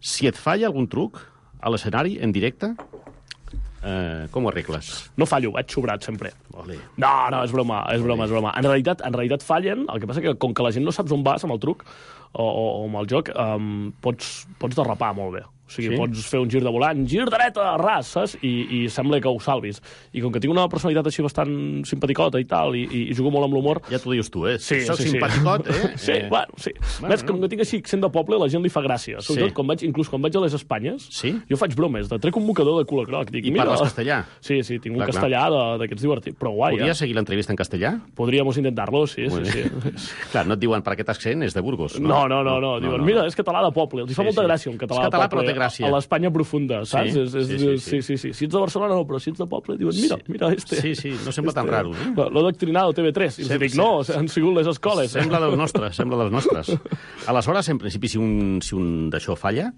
S6: Si et falla algun truc a l'escenari, en directe, com ho arregles?
S7: No fallo, vaig sobrat, sempre.
S6: Ole.
S7: No, és broma. En realitat fallen, el que passa que com que la gent no saps on vas amb el truc o amb el joc, pots derrapar molt bé. O sigui, pots fer un gir de volant, gir dreta, ras, saps? I sembla que ho salvis. I com que tinc una personalitat així bastant simpaticota i tal, i jugo molt amb l'humor...
S6: Ja t'ho dius tu,
S7: Sí,
S6: Soc simpaticot,
S7: Sí. Ves, com que tinc així accent de poble, la gent li fa gràcia. Sobretot, inclús quan vaig a les Espanyes, jo faig bromes, trec un mocador de cul a croc.
S6: I parles castellà?
S7: Sí, tinc un castellà d'aquests divertits, però guai.
S6: Podries seguir l'entrevista en castellà?
S7: Podríamos intentar-lo, sí.
S6: Clar, no et diuen per aquest accent, és de Burgos, no?
S7: No. Diuen, mira, és català de poble. Els fa molta gràcia un català de poble. A l'Espanya profunda, saps? Sí. Si ets de Barcelona, no, però si ets de poble, diuen, mira este.
S6: Sí, no sembla tan raro.
S7: L'ho adoctrinado TV3. I els dic, no, han sigut les escoles.
S6: Sembla dels nostres. Aleshores, en principi, si un d'això falla,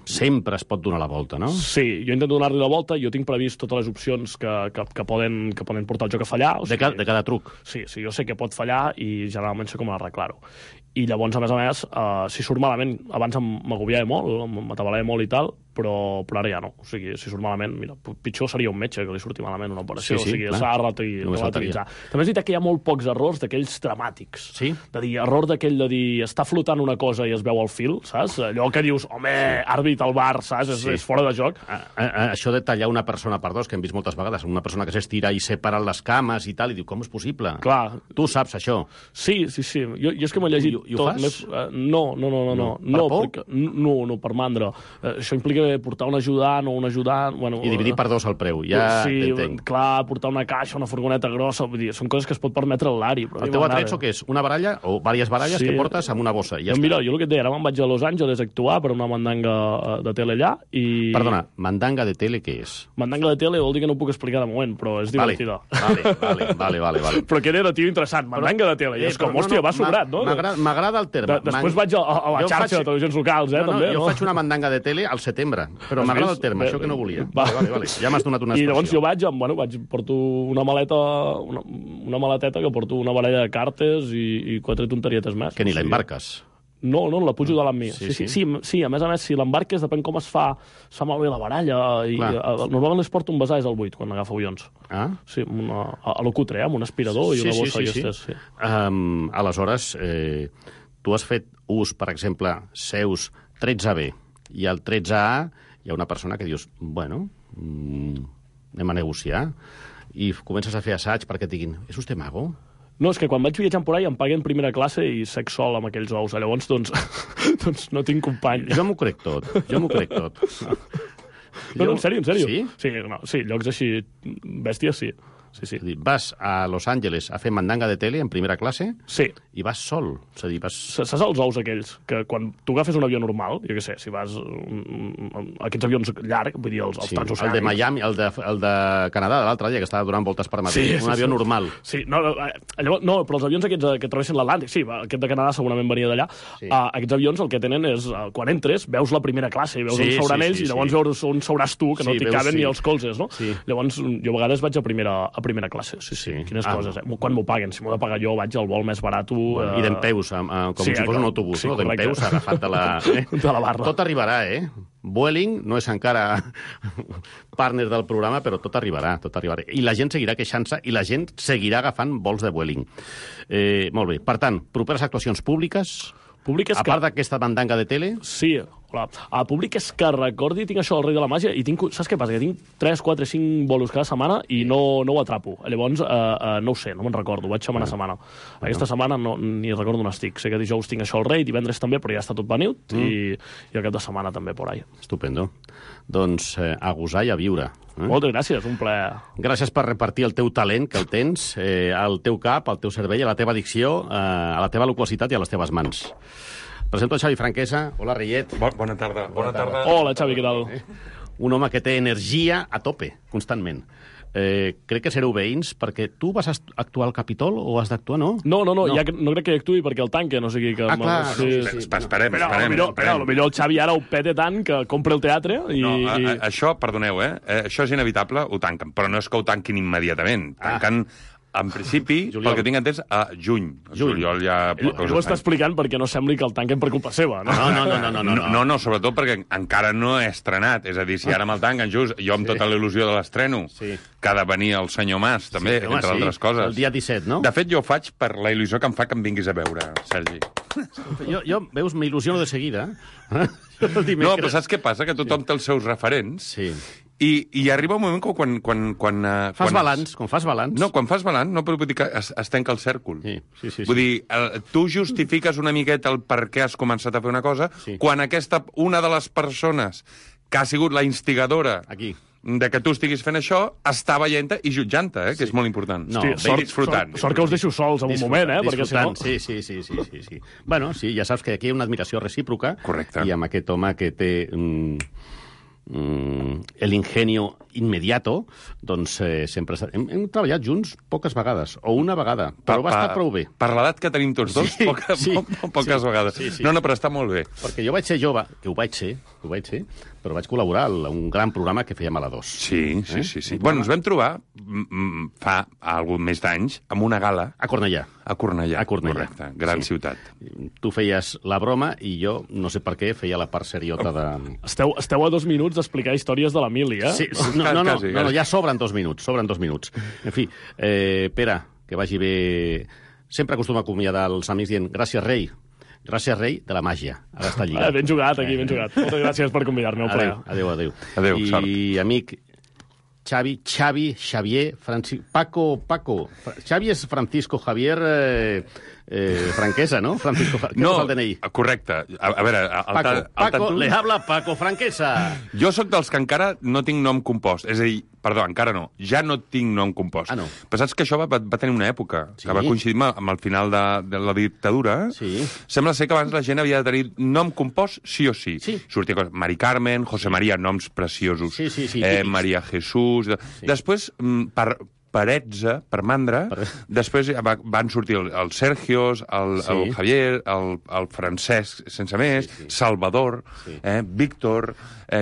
S6: sempre es pot donar la volta, no?
S7: Sí, jo intento donar-li la volta, jo tinc previst totes les opcions que poden portar el joc a fallar.
S6: De cada truc.
S7: Sí, jo sé que pot fallar i generalment sé com arreglar-ho. I llavors, a més, si surt malament, abans m'agobiava molt, m'atabalava molt i tal, però ara ja no. O sigui, si surt malament, mira, pitjor seria un metge que li surti malament una operació. O sigui, s'ha de relativitzar. També és veritat que hi ha molt pocs errors d'aquells dramàtics.
S6: Sí?
S7: De dir, error d'aquell de dir, està flotant una cosa i es veu al fil, saps? Allò que dius, home, àrbit al bar, saps? És fora de joc.
S6: Això de tallar una persona per dos, que hem vist moltes vegades, una persona que s'estira i separa les cames i tal, i diu, com és possible?
S7: Clar.
S6: Tu saps això?
S7: Sí. Jo és que m'he llegit...
S6: I ho fas?
S7: No.
S6: Per por?
S7: No, per mandra. Això implica portar un ajudant o un ajudant... Bueno,
S6: I dividir per dos el preu, ja t'entenc.
S7: Clar, portar una caixa, una furgoneta grossa, vull dir, són coses que es pot permetre l'Ari.
S6: El teu atrezzo què és? Una baralla o diverses baralles que portes amb una bossa? Ja
S7: mira, jo el que et deia, ara me'n vaig a Los Angeles a actuar per una mandanga de tele allà i...
S6: Perdona, mandanga de tele què és?
S7: Mandanga de tele vol dir que no ho puc explicar de moment, però és divertida.
S6: Vale.
S7: Però que era, tio, interessant, mandanga de tele. I és com, hòstia, va sobrat, no?
S6: M'agrada el terme.
S7: Després vaig a la xarxa de televisions locals, també.
S6: Jo faig una mandanga de tele al setembre, però m'agrada el terme, això que no volia. Vale. Ja m'has donat una expressió.
S7: I llavors jo porto una maleta, una maleteta que porto una baralla de cartes i 4 tonterietes més.
S6: Que ni la embarques.
S7: No, la pujo de l'ami. Sí, a més, si l'embarques, depèn com es fa malbé la baralla. Normalment les porto un besar al buit, quan agafo avions.
S6: Ah?
S7: Sí, a lo cutre, amb un aspirador i una bossa d'aquestes. Sí.
S6: Aleshores, tu has fet ús, per exemple, seus 13B, i al 13A hi ha una persona que dius, bueno, anem a negociar, i comences a fer assaig perquè et diguin, ¿és usted mago?
S7: No, és que quan vaig viatjant por ahí em paguen primera classe i sec sol amb aquells ous. Llavors, doncs no tinc company.
S6: Jo m'ho crec tot.
S7: No, en sèrio.
S6: Sí?
S7: Sí, llocs així, bèsties, sí. Sí.
S6: Vas a Los Angeles a fer mandanga de tele en primera classe?
S7: Sí.
S6: I vas sol? És a dir,
S7: Saps els ous aquells? Que quan tu agafes un avió normal, jo què sé, si vas... aquests avions llargs, vull dir, els transoceànics...
S6: El de Miami, el de Canadà, de l'altre dia, que estava donant voltes per Madrid. Un avió normal.
S7: Sí, no, però els avions aquests que travessen l'Atlàntic, sí, aquest de Canadà segurament venia d'allà. Aquests avions el que tenen és, quan entres, veus la primera classe, veus on seuran ells, i llavors veus on seuràs tu, que no t'hi caben ni els colzes, no? Llavors, jo a vegades vaig a primera classe. Sí. Quines coses, quan m'ho paguen. Si m'ho he de pagar jo, vaig al vol més barat.
S6: I dempeus, com si fos un autobús, no? Dempeus, agafat de la
S7: barra.
S6: Tot arribarà, Vueling no és encara partner del programa, però tot arribarà. I la gent seguirà queixant-se i la gent seguirà agafant vols de Vueling. Molt bé. Per tant, properes actuacions públiques... A part d'aquesta mandanga de tele...
S7: Sí, Hola. A públic és que recordi, tinc això del Rei de la Màgia, i saps què passa? Que tinc 3, 4, 5 bolos cada setmana i no ho atrapo. Llavors, no ho sé, no me'n recordo, vaig setmana a setmana. Aquesta setmana ni recordo on estic. Sé que dijous tinc això al Rei, divendres també, però ja està tot venut, i el cap de setmana també por ahí.
S6: Estupendo. Doncs a gosar i a viure.
S7: Moltes gràcies, un plaer.
S6: Gràcies per repartir el teu talent, que el tens, al teu cap, al teu cervell, a la teva dicció, a la teva loquacitat i a les teves mans. Presento a Xavi Franquesa. Hola, Reiet.
S1: Bona tarda.
S7: Hola, Xavi, què tal?
S6: Un home que té energia a tope, constantment. Crec que sereu veïns, perquè tu vas actuar al Capitol o has d'actuar, no?
S7: No, ja no crec que hi actuï perquè el tanque, no sigui que...
S6: clar.
S1: Esperem.
S7: Potser el Xavi ara ho pete tant que compra el teatre i...
S1: No, això, perdoneu, això és inevitable, ho tanquen, però no és que ho tanquin immediatament. Tanquen, en principi, pel que tinc entès, a juny. Juliol ja...
S7: Ho està explicant perquè no sembli que el tanquen per culpa seva, no?
S1: No, sobretot perquè encara no he estrenat. És a dir, si ara me'l tanquen just, jo amb tota la il·lusió de l'estreno, que ha de venir el senyor Mas, també, entre altres coses.
S6: El dia 17, no?
S1: De fet, jo ho faig per la il·lusió que em fa que em vinguis a veure, Sergi.
S6: Jo veus, m'il·lusiono de seguida.
S1: No, però saps què passa? Que tothom té els seus referents.
S6: Sí.
S1: I arriba un moment quan
S6: fas balanç, quan fas balanç.
S1: No, quan fas balanç, no, però vull dir que es tanca el cèrcol.
S6: Sí.
S1: Vull dir, tu justifiques una miqueta el per què has començat a fer una cosa, quan una de les persones que ha sigut la instigadora
S6: aquí
S1: de que tu estiguis fent això, està veient-te i jutjant-te, que és molt important.
S6: No,
S1: disfrutant.
S7: Sort que us deixo sols en un moment, perquè si no...
S6: Sí. Bueno, sí, ja saps que aquí hi ha una admiració recíproca.
S1: Correcte.
S6: I amb aquest home que té... el ingenio inmediato, doncs sempre... Hem treballat junts poques vegades, o una vegada, però va estar prou bé.
S1: Per l'edat que tenim tots dos, poques vegades. No, però està molt bé.
S6: Perquè jo vaig ser jove, que ho vaig ser, però vaig col·laborar a un gran programa que fèiem a la 2.
S1: Sí. Bueno, ens vam trobar fa algun més d'anys amb una gala...
S6: A Cornellà.
S1: A Cornellà, correcte. Gran ciutat.
S6: Tu feies la broma i jo, no sé per què, feia la part seriota de...
S7: Esteu a 2 minuts d'explicar històries de l'Emili, eh?
S6: Sí, no, ja sobren 2 minuts, En fi, Pere, que vagi bé... Sempre acostuma a acomiadar els amics dient gràcies, rei. Gràcies, rei, de la màgia. Ara està lligat.
S7: Ben jugat, aquí, ben jugat. Moltes gràcies per convidar-me.
S6: Adéu.
S1: Adéu, sort.
S6: I, amic, Xavi, Xavier, Paco. Xavi és Francisco Javier Franquesa, no? Francisco, què
S1: no,
S6: és el DNI?
S1: Correcte. A veure...
S6: Paco, le habla Paco Franquesa.
S1: Jo sóc dels que encara no tinc nom compost. És a dir, perdó, encara no. Ja no tinc nom compost.
S6: No.
S1: Però saps que això va tenir una època, que va coincidir amb el final de la dictadura.
S6: Sí.
S1: Sembla ser que abans la gent havia de tenir nom compost sí o sí. Sortia coses. Mari Carmen, José María, noms preciosos.
S6: Sí,
S1: María Jesús... Després, per Etza, per Mandra, després van sortir els Sergios, el Javier, el Francesc, sense més, Salvador, Víctor,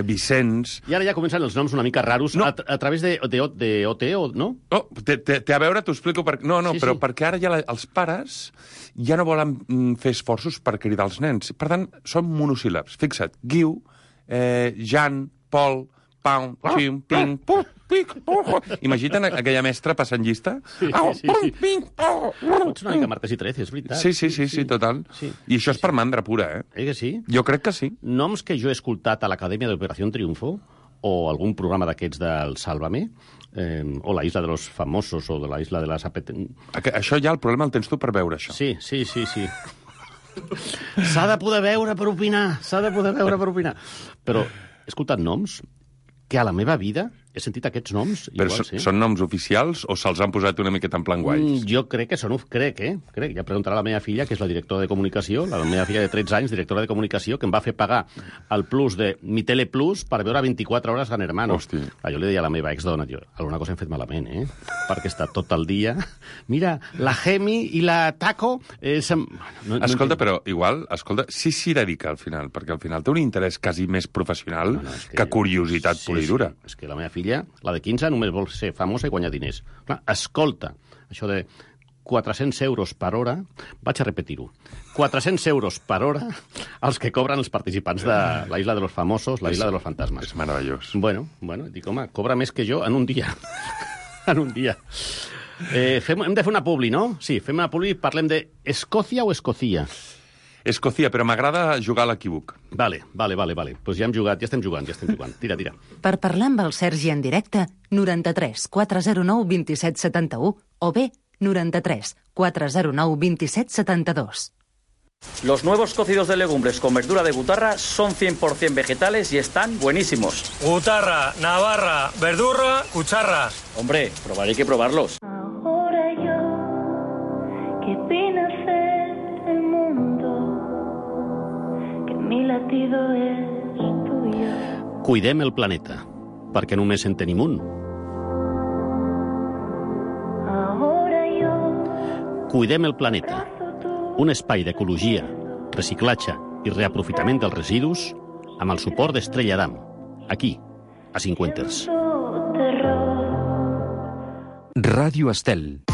S1: Vicenç...
S6: I ara ja comencen els noms una mica raros a través de OT, no?
S1: No, té a veure, t'ho explico... Però perquè ara ja els pares ja no volen fer esforços per cridar els nens. Per tant, són monosíl·labs. Fixa't, Guiu, Jan, Pol, Pau, Xim, Ping, Put, Pic, imagina't aquella mestra passant llista?
S6: Pots una mica martes i 13, és veritat.
S1: Sí, total. I això és per mandra pura,
S6: que sí?
S1: Jo crec que sí.
S6: Noms que jo he escoltat a l'Acadèmia d'Operació Triunfo, o algun programa d'aquests del Sálvame, o la Isla de los Famosos, o de la Isla de las
S1: Això ja el problema el tens tu per veure, això.
S6: Sí. S'ha de poder veure per opinar. Però he escoltat noms que a la meva vida he sentit aquests noms.
S1: Però són noms oficials o se'ls han posat una miqueta en plan guais?
S6: Jo crec que són... Crec. Ja preguntarà la meva filla, que és la directora de comunicació, la meva filla de 13 anys, directora de comunicació, que em va fer pagar el plus de Mi Tele Plus per veure 24 hores Gran Hermano.
S1: Hosti.
S6: Jo li deia a la meva exdona, alguna cosa hem fet malament, perquè està tot el dia... Mira, la Gemi i la Taco...
S1: Escolta, però igual, sí s'hi dedica al final, perquè al final té un interès quasi més professional que curiositat pura i dura.
S6: És que la meva filla, la de 15, només vol ser famosa i guanyar diners. Clar, escolta, això de 400 euros per hora, vaig a repetir-ho, 400 euros per hora els que cobren els participants de la Isla de los Famosos, la Isla de los Fantasmas.
S1: És meravellós.
S6: Bueno, dic, home, cobra més que jo en un dia. En un dia. Hem de fer una publi, no? Sí, fem una publi i parlem de Escòcia o Escocia?
S1: Escòcia, però m'agrada jugar a l'equívoc.
S6: Vale. Pues ja estem jugant. Tira.
S3: Per parlar amb el Sergi en directe, 93 409 27 71 o bé 93 409 27 72.
S8: Los nuevos cocidos de legumbres con verdura de Gutarra son 100% vegetales y están buenísimos.
S9: Gutarra, Navarra, verdura, cucharra.
S8: Hombre, probaré que probarlos.
S10: Ahora yo, que vine a ser el mundo, que mi latido es tuyo.
S6: Cuidem el planeta, perquè només en tenim un.
S10: Ahora yo,
S6: Cuidem el planeta, un espai d'ecologia, reciclatge i reaprofitament dels residus amb el suport d'Estrella Damm, aquí, a Cinquenters.
S11: Ràdio Estel.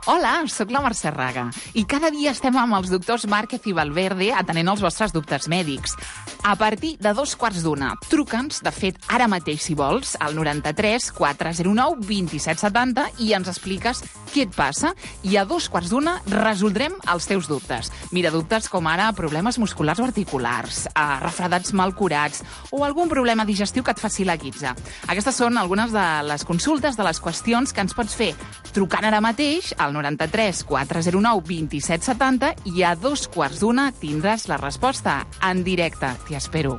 S2: Hola, sóc la Mercè Raga i cada dia estem amb els doctors Márquez i Valverde atenent els vostres dubtes mèdics. A partir de 2:15, truca'ns, de fet, ara mateix, si vols, al 93 409 27 70 i ens expliques què et passa i a 2:15 resoldrem els teus dubtes. Mira, dubtes com ara problemes musculars o articulars, refredats mal curats o algun problema digestiu que et faci la guitza. Aquestes són algunes de les consultes, de les qüestions que ens pots fer trucant ara mateix al 93 409 27 70 i a 2:15 tindràs la resposta en directe. T'hi espero.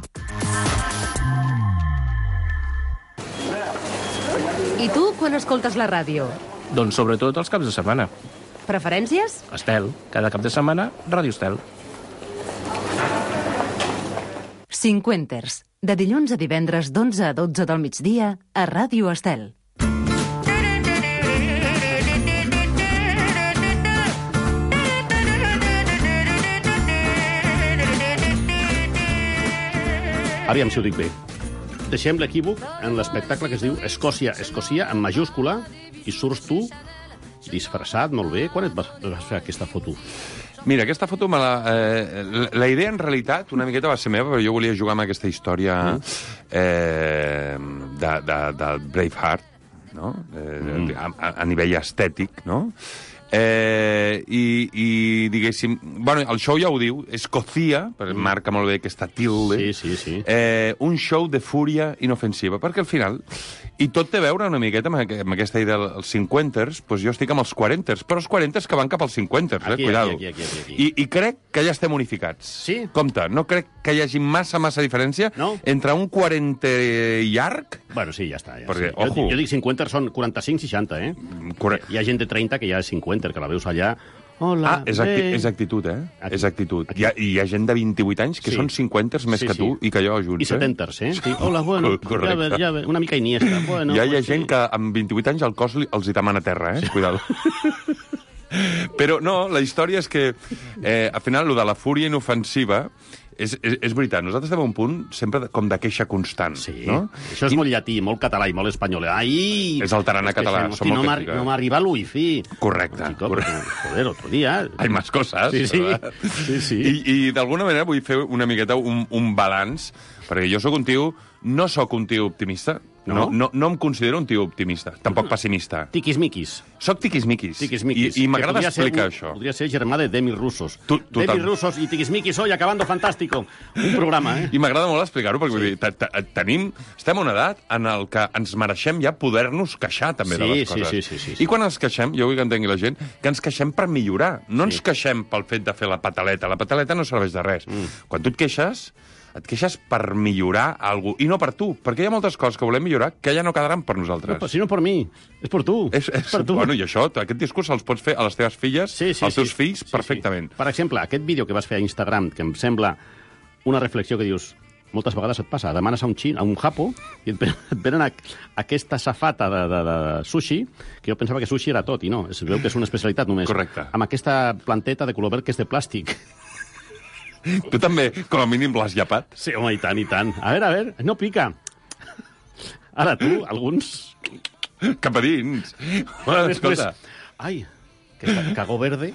S3: I tu, quan escoltes la ràdio?
S12: Doncs sobretot els caps de setmana.
S3: Preferències?
S12: Estel, cada cap de setmana, Ràdio Estel.
S3: Cinquenters, de dilluns a divendres d'11 a 12 del migdia a Ràdio Estel.
S6: Aviam si ho dic bé. Deixem l'equívoc en l'espectacle que es diu Escòcia, en majúscula, i surts tu disfressat, molt bé. Quan et vas fer aquesta foto?
S1: Mira, aquesta foto, la idea en realitat una miqueta va ser meva, però jo volia jugar amb aquesta història de Braveheart, no? A nivell estètic, no? I diguéssim, bueno, el show ja ho diu, Escòcia, marca molt bé aquesta tilde,
S6: sí.
S1: Un show de fúria inofensiva, perquè al final, i tot té a veure una miqueta amb aquesta idea dels cinquenters, doncs jo estic amb els quarenters, però els quarenters que van cap als cinquenters, cuidado.
S6: Aquí.
S1: I crec que ja estem unificats.
S6: Sí?
S1: Compte, no crec que hi hagi massa diferència entre un 40 llarg...
S6: Bueno, sí, ja està.
S1: Perquè,
S6: jo dic 50, són 45-60, eh? Hi ha gent de 30 que ja és 50, que la veus allà... Hola,
S1: és actitud, eh? És actitud. Hi ha gent de 28 anys que són 50 més que tu i que jo junts,
S6: I 70, eh? Sí. Hola, bueno, ja ve, una mica Iniesta. Bueno,
S1: hi ha gent que amb 28 anys el cos els hi tamana a terra, eh? Cuidado. Però no, la història és que al final, lo de la fúria inofensiva és veritat, nosaltres estem a un punt sempre com de queixa constant.
S6: Sí,
S1: no?
S6: Això és molt llatí, molt català i molt espanyol. Ai!
S1: És el tarannà català.
S6: No m'arriba el wifi.
S1: Correcte.
S6: Joder, otro día.
S1: Hay más cosas.
S6: Sí.
S1: I d'alguna manera vull fer una miqueta un balanç, perquè jo no sóc un tio optimista, no em considero un tio optimista, tampoc pessimista.
S6: Tiquismiquis.
S1: Soc tiquismiquis. I m'agrada explicar això.
S6: Podria ser germà de Demi Russos.
S1: Demi
S6: Russos i tiquismiquis hoy acabando fantástico. Un programa, eh?
S1: I m'agrada molt explicar-ho, perquè vull dir, estem a una edat en el que ens mereixem ja poder-nos queixar també de les coses.
S6: Sí.
S1: I quan ens queixem, jo vull que entengui la gent, que ens queixem per millorar. No ens queixem pel fet de fer la pataleta. La pataleta no serveix de res. Quan tu et queixes per millorar alguna cosa, i no per tu, perquè hi ha moltes coses que volem millorar que ja no quedaran per nosaltres.
S6: No, si no per mi, és per tu.
S1: És per tu. Bueno, i això, aquest discurs els pots fer a les teves filles, als teus fills, perfectament.
S6: Per exemple, aquest vídeo que vas fer a Instagram, que em sembla una reflexió que dius, moltes vegades et passa, demanes a un japo, i et venen aquesta safata de sushi, que jo pensava que sushi era tot, i no, es veu que és una especialitat només.
S1: Correcte.
S6: Amb aquesta planteta de color verd que és de plàstic.
S1: Tu també, com a mínim, l'has llapat?
S6: Sí, home, i tant. A veure, no pica. Ara tu, alguns...
S1: Cap a dins.
S6: Escolta. Ai, que cagó verde.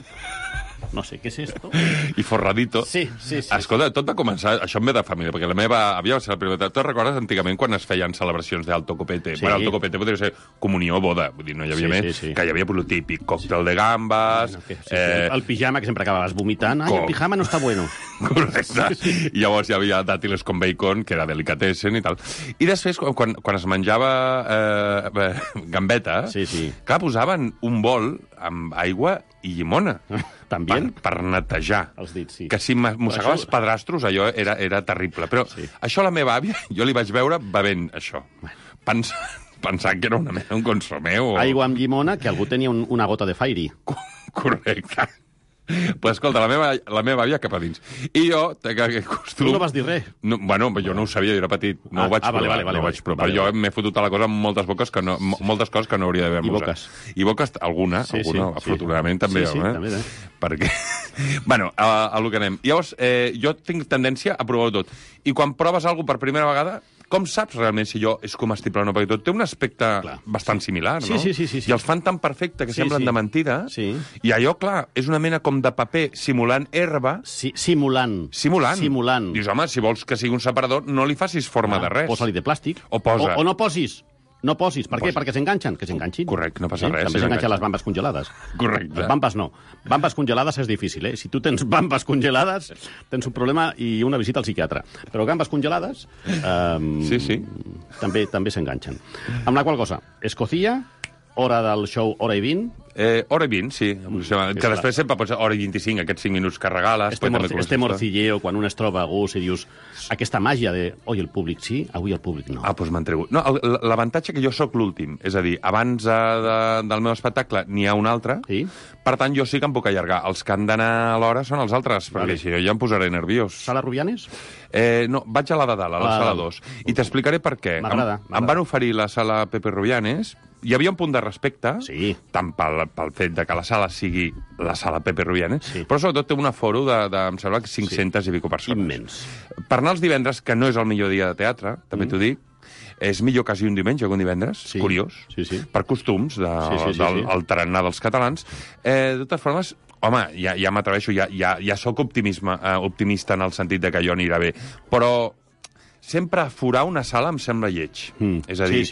S6: no sé què és esto.
S1: I forradito.
S6: Sí.
S1: Escolta, tot va començar... Això em ve de família, perquè la meva àvia va ser la primera... Tu recordes antigament quan es feien celebracions d'alto copete?
S6: Sí.
S1: Bueno, alto copete podria ser comunió o boda. Vull dir, no hi havia més.
S6: Sí.
S1: Que hi havia lo típic, còctel de gambes...
S6: El pijama, que sempre acabaves vomitant. Ai, el pijama no està bueno.
S1: Correcte. I llavors hi havia dàtiles con bacon, que era delicatessen i tal. I després, quan es menjava gambeta, clar, posaven un bol amb aigua i llimona.
S6: També?
S1: Per netejar.
S6: Els dits, sí.
S1: Que si mossegaves pedrastros, allò era terrible. Però això a la meva àvia, jo li vaig veure bevent això. Pensant que era una mena, un consomé o...
S6: Aigua amb llimona, que algú tenia una gota de Fairy.
S1: Correcte. Pues escolta, la meva àvia cap a dins. I jo, que costum...
S6: Tu no vas dir res?
S1: No, bueno, jo no ho sabia, jo era petit. No ho vaig provar. Però jo m'he fotut a la cosa amb moltes coses que no hauria d'haver usat. I boques, alguna, afortunadament també.
S6: També.
S1: Perquè... Bueno, a lo que anem. Llavors, jo tinc tendència a provar-ho tot. I quan proves alguna cosa per primera vegada, com saps realment si allò és comestible o no? Perquè tot té un aspecte bastant similar, no?
S6: Sí.
S1: I els fan tan perfecte que semblen de mentida. Sí. I allò, clar, és una mena com de paper simulant herba.
S6: Simulant.
S1: Dius, home, si vols que sigui un separador, no li facis forma de res.
S6: Posa-li de plàstic.
S1: O
S6: no posis. No posis. Per què? Perquè s'enganxen. Que s'enganxin.
S1: Correcte, no passa res.
S6: També s'enganxen les bambes congelades.
S1: Correcte.
S6: Les bambes no. Bambes congelades és difícil, Si tu tens bambes congelades, tens un problema i una visita al psiquiatre. Però gambes congelades... També s'enganxen. Amb la qual cosa, escocilla, hora del show, hora i 20...
S1: Hora i 20, sí. Que després sempre pot ser hora i 25, aquests 5 minuts que regales.
S6: Este morcilleo, quan un es troba a gust i dius aquesta màgia de, oi, el públic sí, avui el públic no.
S1: Ah, doncs m'han tregut. No, l'avantatge que jo sóc l'últim, és a dir, abans del meu espectacle n'hi ha un altre, per tant jo sí que em puc allargar. Els que han d'anar a l'hora són els altres, perquè si no ja em posaré nerviós.
S6: Sala Rubianes?
S1: No, vaig a la de dalt, a la sala 2. I t'explicaré per què.
S6: M'agrada.
S1: Em van oferir la sala Pepe Rubianes, hi havia un punt de respecte, tant pel fet de que la sala sigui la sala Pepe Rubianes, però sobretot té un aforo de em sembla, 500 i pico persones.
S6: Immens.
S1: Per anar els divendres, que no és el millor dia de teatre, també t'ho dic, és millor quasi un diumenge que un divendres, curiós, per costums del tarannà dels catalans. De totes formes, home, ja m'atreveixo, ja sóc optimista en el sentit de que allò anirà bé, però sempre aforar una sala em sembla lleig. És a dir,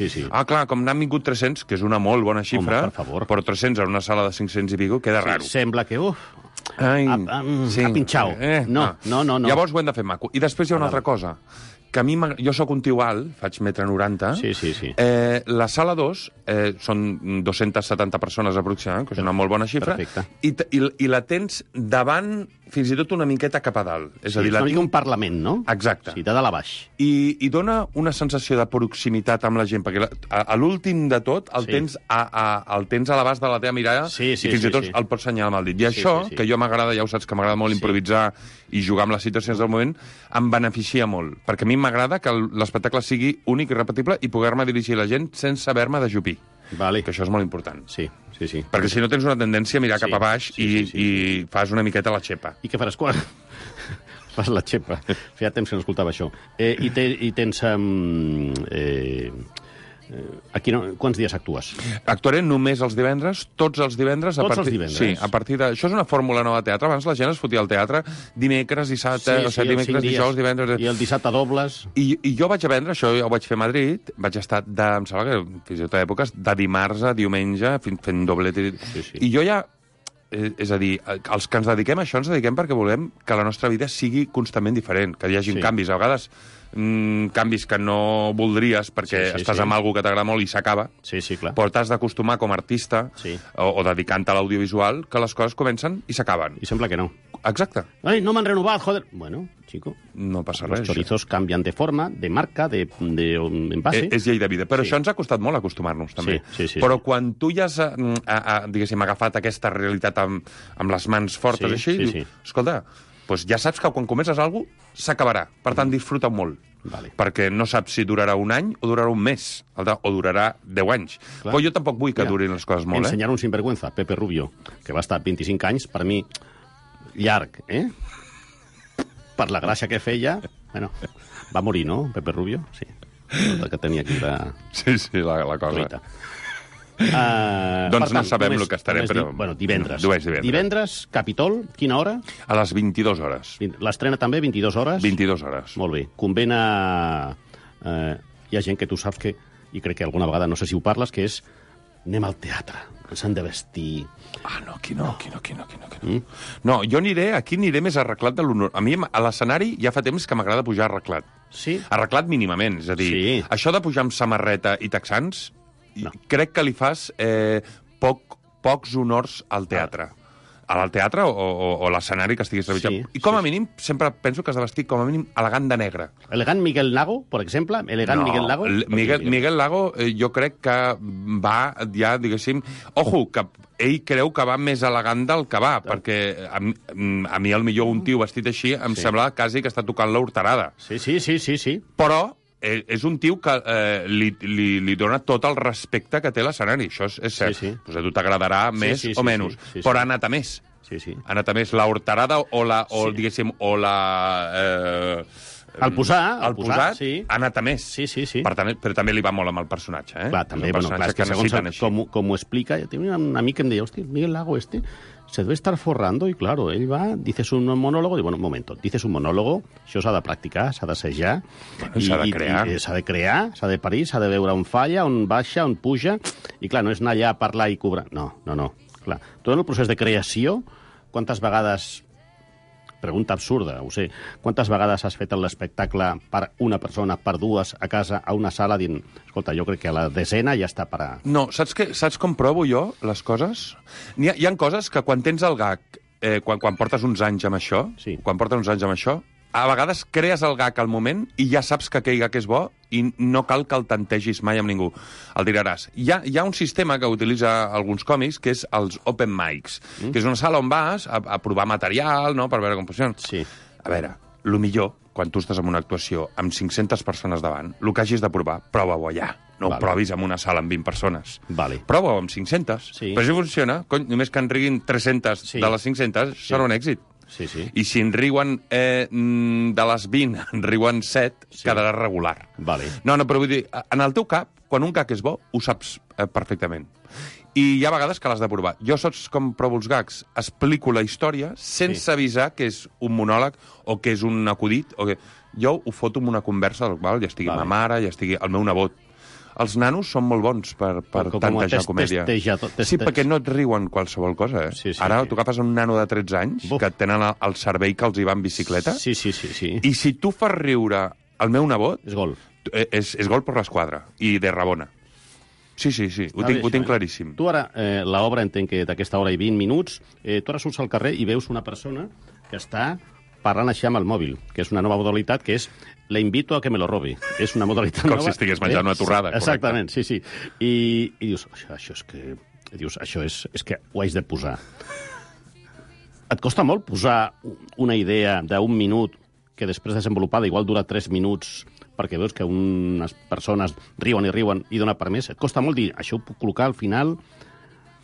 S1: clar, com n'han vingut 300, que és una molt bona xifra, però 300 en una sala de 500 i pico queda raro.
S6: Sembla que, ha pinxau. No.
S1: Llavors ho hem de fer maco. I després hi ha una altra cosa, que a mi, jo sóc un tio alt, faig 1,90 m, la sala 2 són 270 persones aproximadament, que és una molt bona xifra, i la tens davant fins i tot una miqueta cap a dalt. És a dir,
S6: una mica un parlament, no?
S1: Exacte.
S6: Sí, de dalt a baix.
S1: I dona una sensació de proximitat amb la gent, perquè a l'últim de tot el tens a l'abast de la teva mirada i fins i tot el pots senyalar amb el dit. I això, que jo m'agrada, ja ho saps, que m'agrada molt improvisar i jugar amb les situacions del moment, em beneficia molt, perquè a mi m'agrada que l'espectacle sigui únic i repetible i poder-me dirigir a la gent sense haver-me d'ajupir. Que això és molt important.
S6: Sí.
S1: Perquè si no tens una tendència a mirar cap a baix i fas una miqueta la xepa.
S6: I què faràs quan... Fas la xepa. Feia temps que no escoltava això. I tens... Aquí quants dies actues?
S1: Actuaré només els divendres, tots els divendres.
S6: Els divendres?
S1: Sí, a partir de... Això és una fórmula nova de teatre. Abans la gent es fotia al teatre dimecres, dissabte, dimecres, dijous, divendres...
S6: I el dissabte dobles.
S1: I jo vaig a vendre, això ho vaig fer a Madrid, vaig estar, em sembla que fins i tot a èpoques, de dimarts a diumenge, fent doblet. I jo ja... És a dir, els que ens dediquem a això ens dediquem perquè volem que la nostra vida sigui constantment diferent, que hi hagi canvis. A vegades canvis que no voldries perquè estàs amb algú que t'agrada molt i s'acaba, però t'has d'acostumar com a artista o dedicant-te a l'audiovisual que les coses comencen i s'acaben.
S6: I sembla que no.
S1: Exacte.
S6: Ai, no m'han renovat, joder. Bueno, chico.
S1: No passa res.
S6: Los chorizos canvian de forma, de marca, de envase.
S1: És llei de vida. Però això ens ha costat molt acostumar-nos, també. Però quan tu ja has, diguéssim, agafat aquesta realitat amb les mans fortes així, escolta, doncs ja saps que quan comences alguna cosa s'acabarà. Per tant, disfruta molt. Perquè no saps si durarà un any o durarà un mes, o durarà 10 anys. Però jo tampoc vull que durin les coses molt.
S6: Ensenyar un sinvergüenza, Pepe Rubio, que va estar 25 anys, per mi, llarg, per la gràcia que feia. Bueno, va morir, no, Pepe Rubio? Sí. Que tenia aquí la...
S1: Sí, la cosa. Doncs no sabem el que estarem, però...
S6: Bueno, divendres.
S1: Divendres,
S6: Capitol, quina hora?
S1: A les 22 hores.
S6: L'estrena també, 22 hores?
S1: 22 hores.
S6: Molt bé. Convé anar... Hi ha gent que tu saps que, i crec que alguna vegada, no sé si ho parles, que és anem al teatre, ens han de vestir...
S1: Ah, no, aquí no. No, jo aquí aniré més arreglat de l'honor. A mi, a l'escenari, ja fa temps que m'agrada pujar arreglat.
S6: Sí?
S1: Arreglat mínimament, és a dir, això de pujar amb samarreta i texans, crec que li fas pocs honors al teatre. Al teatre o a l'escenari que estiguis rebutjant. I com a mínim, sempre penso que has de vestir com a mínim elegant de negre.
S6: Elegant Miguel Lago, per exemple? Miguel Lago?
S1: Miguel Lago jo crec que va ja, diguéssim... Ojo, que ell creu que va més elegant del que va, perquè a mi, al millor, un tio vestit així em sembla quasi que està tocant l'horterada.
S6: Sí.
S1: Però és un tio que li dona tot el respecte que té l'escenari, això és cert. Pues a tu t'agradarà més o menys, però ha anat a més. Ha anat a més. La horterada diguéssim,
S6: el posat,
S1: ha anat a més. Per tant, però també li va molt amb el personatge.
S6: Clar, també, és que segons com ho explica, tenia un amic que em deia, hòstia, Miguel Lago se debe estar forrando, y claro, ell va, dices un monólogo, y bueno, un momento, dices un monólogo, això s'ha de practicar, s'ha d'assajar,
S1: s'ha de crear.
S6: S'ha de crear, s'ha de parir, s'ha de veure on falla, on baixa, on puja, i clar, no és anar allà a parlar i cobrar. No, clar. Tot el procés de creació, quantes vegades... Pregunta absurda, ho sé. Quantes vegades has fet l'espectacle per una persona, per dues, a casa, a una sala, dient, escolta, jo crec que a la desena ja està per a...
S1: No, saps com provo jo les coses? Hi ha coses que quan tens el gag, quan portes uns anys amb això, a vegades crees el gag al moment i ja saps que aquell gag és bo i no cal que el tantegis mai amb ningú. El diràs. Hi ha un sistema que utilitza alguns còmics, que és els open mics, que és una sala on vas a provar material, no?, per veure com funciona. A veure, el millor, quan tu estàs en una actuació amb 500 persones davant, el que hagis de provar, prova-ho allà. No ho provis en una sala amb 20 persones. Prova-ho amb 500. Però si funciona, només que en riguin 300 de les 500, serà un èxit. I si en riuen de les 20, en riuen 7, quedarà regular. No, però vull dir, en el teu cap, quan un gag és bo, ho saps perfectament. I hi ha vegades que l'has de provar. Jo saps com provo els gags? Explico la història sense avisar que és un monòleg o que és un acudit. Jo ho foto en una conversa, ja estigui ma mare, ja estigui el meu nebot. Els nanos són molt bons per tantejar comèdia. Sí, perquè no et riuen qualsevol cosa, Ara tu agafes un nano de 13 anys que tenen el cervell que els hi va en bicicleta i si tu fas riure el meu nebot... És gol. És gol per l'esquadra i de Rabona. Sí, ho tinc claríssim.
S6: Tu ara, l'obra entenc que d'aquesta hora i 20 minuts, tu ara surts al carrer i veus una persona que està parlant així amb el mòbil, que és una nova modalitat, que és le invito a que me lo robi. És una modalitat nova.
S1: Com si estigués menjant una torrada.
S6: Exactament, sí. I dius, això és que... Dius, això és que ho haig de posar. Et costa molt posar una idea d'un minut que després desenvolupada igual dura 3 minuts perquè veus que unes persones riuen i dona per més. Et costa molt dir, això ho puc col·locar al final...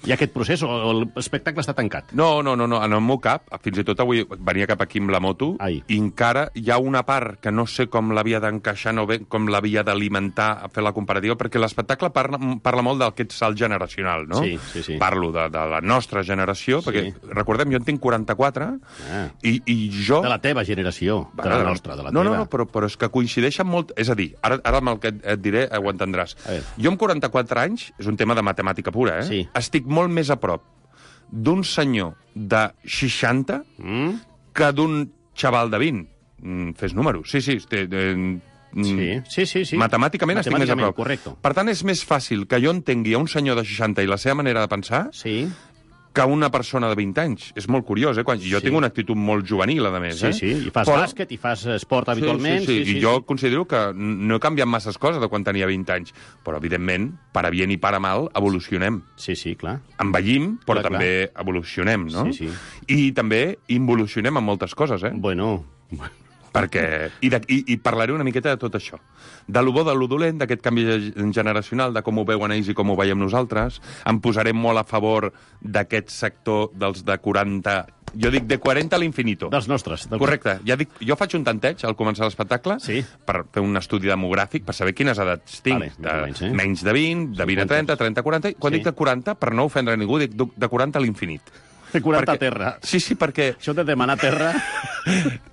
S6: Hi ha aquest procés o l'espectacle està tancat?
S1: No, en el meu cap, fins i tot avui venia cap aquí amb la moto, i encara hi ha una part que no sé com l'havia d'encaixar, no bé com l'havia d'alimentar a fer la comparativa, perquè l'espectacle parla molt d'aquest salt generacional, no?
S6: Sí.
S1: Parlo de la nostra generació, perquè, recordem, jo en tinc 44, i jo...
S6: De la teva generació, de la nostra, de la teva.
S1: No, però és que coincideixen molt... És a dir, ara amb el que et diré ho entendràs. Jo amb 44 anys, és un tema de matemàtica pura, estic molt més a prop d'un senyor de 60 que d'un xaval de 20. Fes números. Sí. Matemàticament estic més a prop.
S6: Correcte.
S1: Per tant, és més fàcil que jo entengui a un senyor de 60 i la seva manera de pensar que una persona de 20 anys. És molt curiós, Jo tinc una actitud molt juvenil, a més.
S6: Sí, i fas bàsquet, i fas esport habitualment.
S1: Sí. I jo considero que no he canviat masses coses de quan tenia 20 anys. Però, evidentment, para bien i para mal, evolucionem.
S6: Sí, clar.
S1: Envellim, però també evolucionem, no?
S6: Sí.
S1: I també involucionem en moltes coses,
S6: Bueno...
S1: Perquè... I parlaré una miqueta de tot això. De lo bo, de lo dolent, d'aquest canvi generacional, de com ho veuen ells i com ho veiem nosaltres. Em posarem molt a favor d'aquest sector dels de 40 Jo dic de 40 a l'infinito.
S6: Dels nostres.
S1: Correcte. Ja dic, jo faig un tanteig al començar l'espectacle per fer un estudi demogràfic, per saber quines edats tinc. Menys de 20, de 20 a 30, 30 a 40. Quan dic de 40, per no ofendre ningú, dic de 40 a l'infinit.
S6: De 40 a terra.
S1: Sí, perquè...
S6: Això de demanar terra...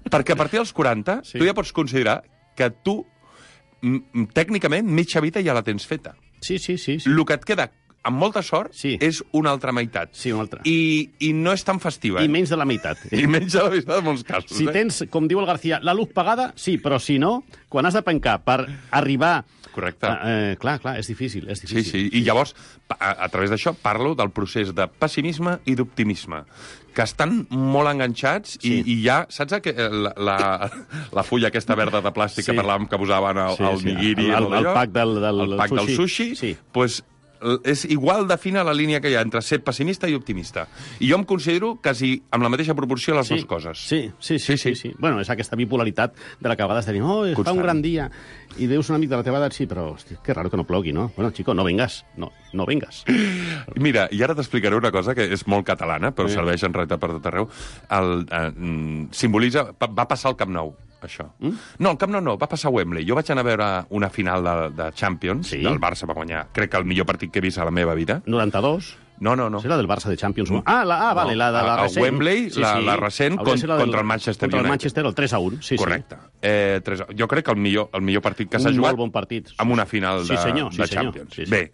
S1: Perquè a partir dels 40, tu ja pots considerar que tu, tècnicament, mitja vida ja la tens feta.
S6: Sí.
S1: El que et queda, amb molta sort, és una altra meitat.
S6: Sí, una altra.
S1: I no és tan festiva.
S6: I menys de la meitat.
S1: I menys de la meitat en molts casos.
S6: Si tens, com diu el García, la luz pagada, sí, però si no, quan has de pencar per arribar...
S1: Correcte.
S6: Clar, és difícil.
S1: Sí. I llavors, a través d'això, parlo del procés de pessimisme i d'optimisme, que estan molt enganxats i ja... Saps la fulla aquesta verda de plàstic que parlàvem que posaven al nigiri?
S6: El pack del
S1: sushi? Doncs és igual de fina la línia que hi ha entre ser pessimista i optimista. I jo em considero quasi amb la mateixa proporció les dues coses.
S6: Sí. Bueno, és aquesta bipolaritat de la que a vegades tenim, fa un gran dia, i veus un amic de la teva edat, sí, però, hosti, que raro que no plogui, no? Bueno, chico, no vengas. No vengas.
S1: Mira, i ara t'explicaré una cosa que és molt catalana, però serveix en realitat per tot arreu. Simbolitza... Va passar al Camp Nou, això. No, al Camp Nou no, va passar a Wembley. Jo vaig anar a veure una final de Champions, del Barça va guanyar, crec que el millor partit que he vist a la meva vida.
S6: 92?
S1: No.
S6: És la del Barça de Champions. Vale, la de la recent.
S1: A Wembley, la recent, contra el Manchester United.
S6: Contra el Manchester, el 3-1. Sí.
S1: Correcte. Jo crec que el millor partit que s'ha jugat...
S6: Un molt bon partit.
S1: Amb una final de Champions. Bé,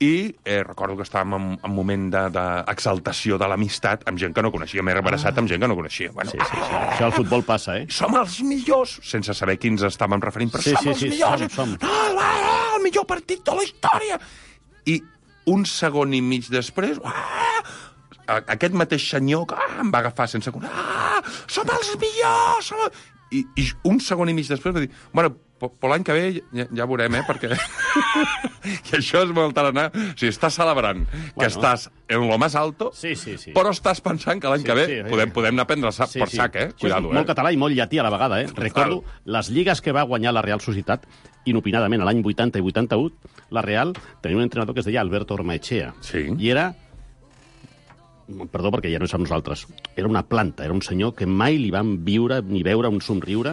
S1: i recordo que estàvem en un moment d'exaltació de l'amistat amb gent que no coneixia. M'he abraçat amb gent que no coneixia. Bueno,
S6: això al futbol passa,
S1: Som els millors! Sense saber quins estàvem referint, però som els millors!
S6: Som.
S1: El millor partit de la història! I un segon i mig després... Aquest mateix senyor que em va agafar sense... Som els millors! I un segon i mig després va dir... Bueno, però l'any que ve ja veurem, perquè... I això és molt tarannà. O sigui, estàs celebrant que estàs en lo más alto, però estàs pensant que l'any que ve podem anar a prendre per sac, Cuidado,
S6: Molt català i molt llatí a la vegada, Recordo les lligues que va guanyar la Real Societat, inopinadament, a l'any 80 i 81, la Real tenia un entrenador que es deia Alberto Ormaechea. I era... Perdó, perquè ja no és amb nosaltres. Era una planta, era un senyor que mai li vam viure ni veure un somriure,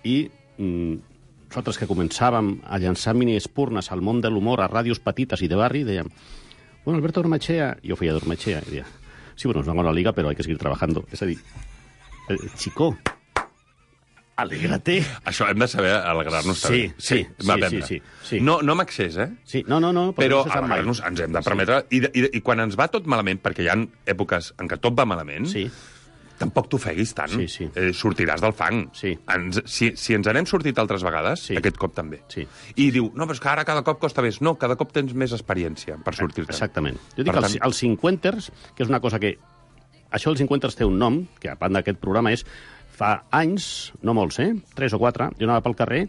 S6: i nosaltres que començàvem a llançar mini-espurnes al món de l'humor a ràdios petites i de barri, dèiem, bueno, Alberto Ormaechea, jo feia d'Ormaechea, i deia, sí, bueno, nos van a la liga, però hay que seguir trabajando. És a dir, chico, alégrate.
S1: Això hem de saber alegrar-nos també.
S6: Sí.
S1: No amb excés,
S6: Sí, no.
S1: Però alegrar-nos ens hem de permetre. I quan ens va tot malament, perquè hi ha èpoques en què tot va malament, tampoc t'ofeguis tant. Sortiràs del fang. Si ens n'hem sortit altres vegades, aquest cop també. I diu, no, però és que ara cada cop costa més. No, cada cop tens més experiència per sortir-te'n.
S6: Exactament. Jo dic que els 50ers, que és una cosa que... Això dels 50ers té un nom, que a part d'aquest programa és... Fa anys, no molts, 3 o 4, jo anava pel carrer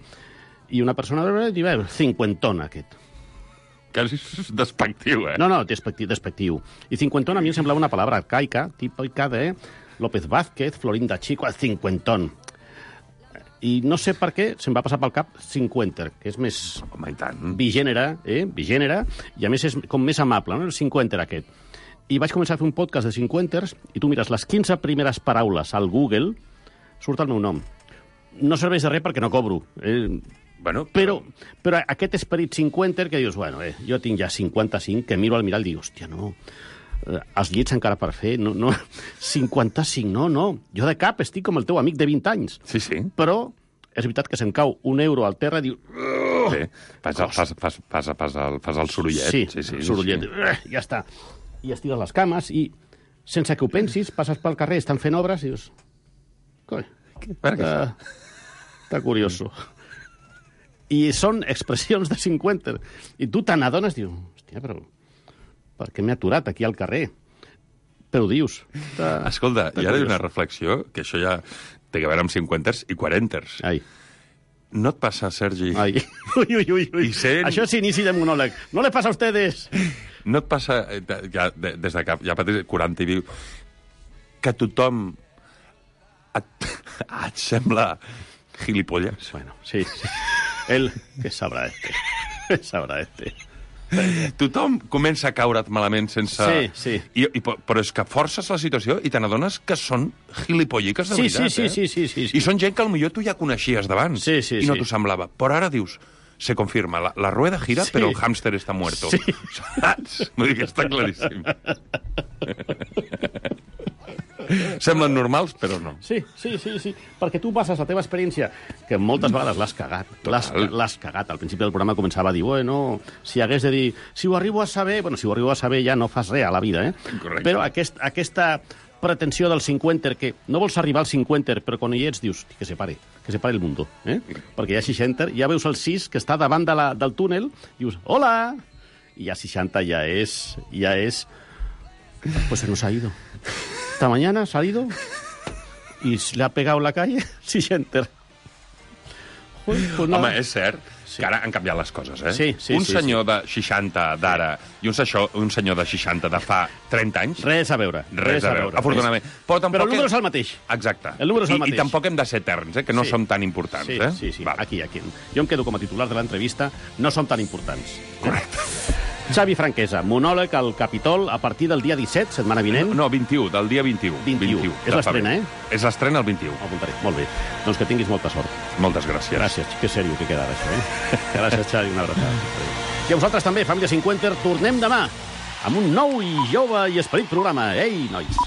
S6: i una persona diu, cinquentona, aquest.
S1: Que és despectiu,
S6: No, despectiu. I cinquentona a mi em semblava una palabra arcaica, típica de López Vázquez, Florinda Chico, cinquentón. I no sé per què se'm va passar pel cap cinquenter, que és més bigènere, i a més és com més amable, no? El cinquenter aquest. I vaig començar a fer un podcast de cinquenters i tu mires les 15 primeres paraules al Google, surt el meu nom. No serveix de res perquè no cobro. Però aquest esperit cinquenter que dius, jo tinc ja 55, que miro al mirall i dic, hòstia, no, els llits encara per fer, no, 55, no, jo de cap estic com el teu amic de 20 anys. Però és veritat que se'm cau un euro al terra i diu...
S1: Fas el sorollet.
S6: Sí, sorollet. Ja està. I estires les cames i, sense que ho pensis, passes pel carrer, estan fent obres i dius... Coi, està curioso. I són expressions de 50. I tu te n'adones i dius, hòstia, però per què m'he aturat aquí al carrer? Però ho dius.
S1: Escolta, hi ha una reflexió, que això ja té a veure amb 50ers i 40ers. No et passa, Sergi?
S6: Ui. Això és inici de monòleg. No le pasa a ustedes.
S1: No et passa, ja, des de que ja pateix 40 i viu, que tothom et sembla gilipollas?
S6: Bueno, sí. Él, ¿qué sabrá este?
S1: Tothom comença a caure't malament sense...
S6: Sí.
S1: Però és que forces la situació i te n'adones que són gilipolliques de veritat,
S6: Sí.
S1: I són gent que potser tu ja coneixies d'abans
S6: Sí.
S1: i no t'ho semblava. Però ara dius, se confirma, la rueda gira, però el hámster està muerto.
S6: Sí.
S1: Saps? Vull dir que està claríssim. Semblen normals, però no.
S6: Sí, perquè tu passes la teva experiència, que moltes vegades l'has cagat. L'has cagat. Al principi del programa començava a dir, bueno, si hagués de dir, si ho arribo a saber... Bueno, si ho arribo a saber ja no fas res a la vida,
S1: Correcte.
S6: Però aquesta pretensió del 50, que no vols arribar al 50, però quan hi ets dius, que se pare el mundo, Perquè hi ha 60, ja veus el 6 que està davant del túnel, dius, hola! I ja 60 ja és... Pues se nos ha ido. Esta mañana ha salido y le ha pegado la calle 60. Pues no.
S1: Home, és cert que ara han canviat les coses,
S6: Sí,
S1: un senyor de 60 d'ara i un senyor de 60 de fa 30 anys...
S6: Res a veure.
S1: Afortunadament. Però
S6: el número és el mateix.
S1: Exacte.
S6: El número és el mateix.
S1: I tampoc hem de ser eterns, que no som tan importants.
S6: Sí. Aquí. Jo em quedo com a titular de l'entrevista. No som tan importants.
S1: Correcte.
S6: Xavi Franquesa, monòleg al Capitol a partir del dia 17, setmana vinent.
S1: No, 21, del dia 21.
S6: 21. És l'estrena,
S1: És l'estrena el 21.
S6: Apuntaré. Molt bé. Doncs que tinguis molta sort.
S1: Moltes gràcies.
S6: Gràcies. Que sèrio que queda això, Gràcies, Xavi. Una abraçada. I a vosaltres també, família 50, tornem demà amb un nou i jove i esperit programa. Ei, nois!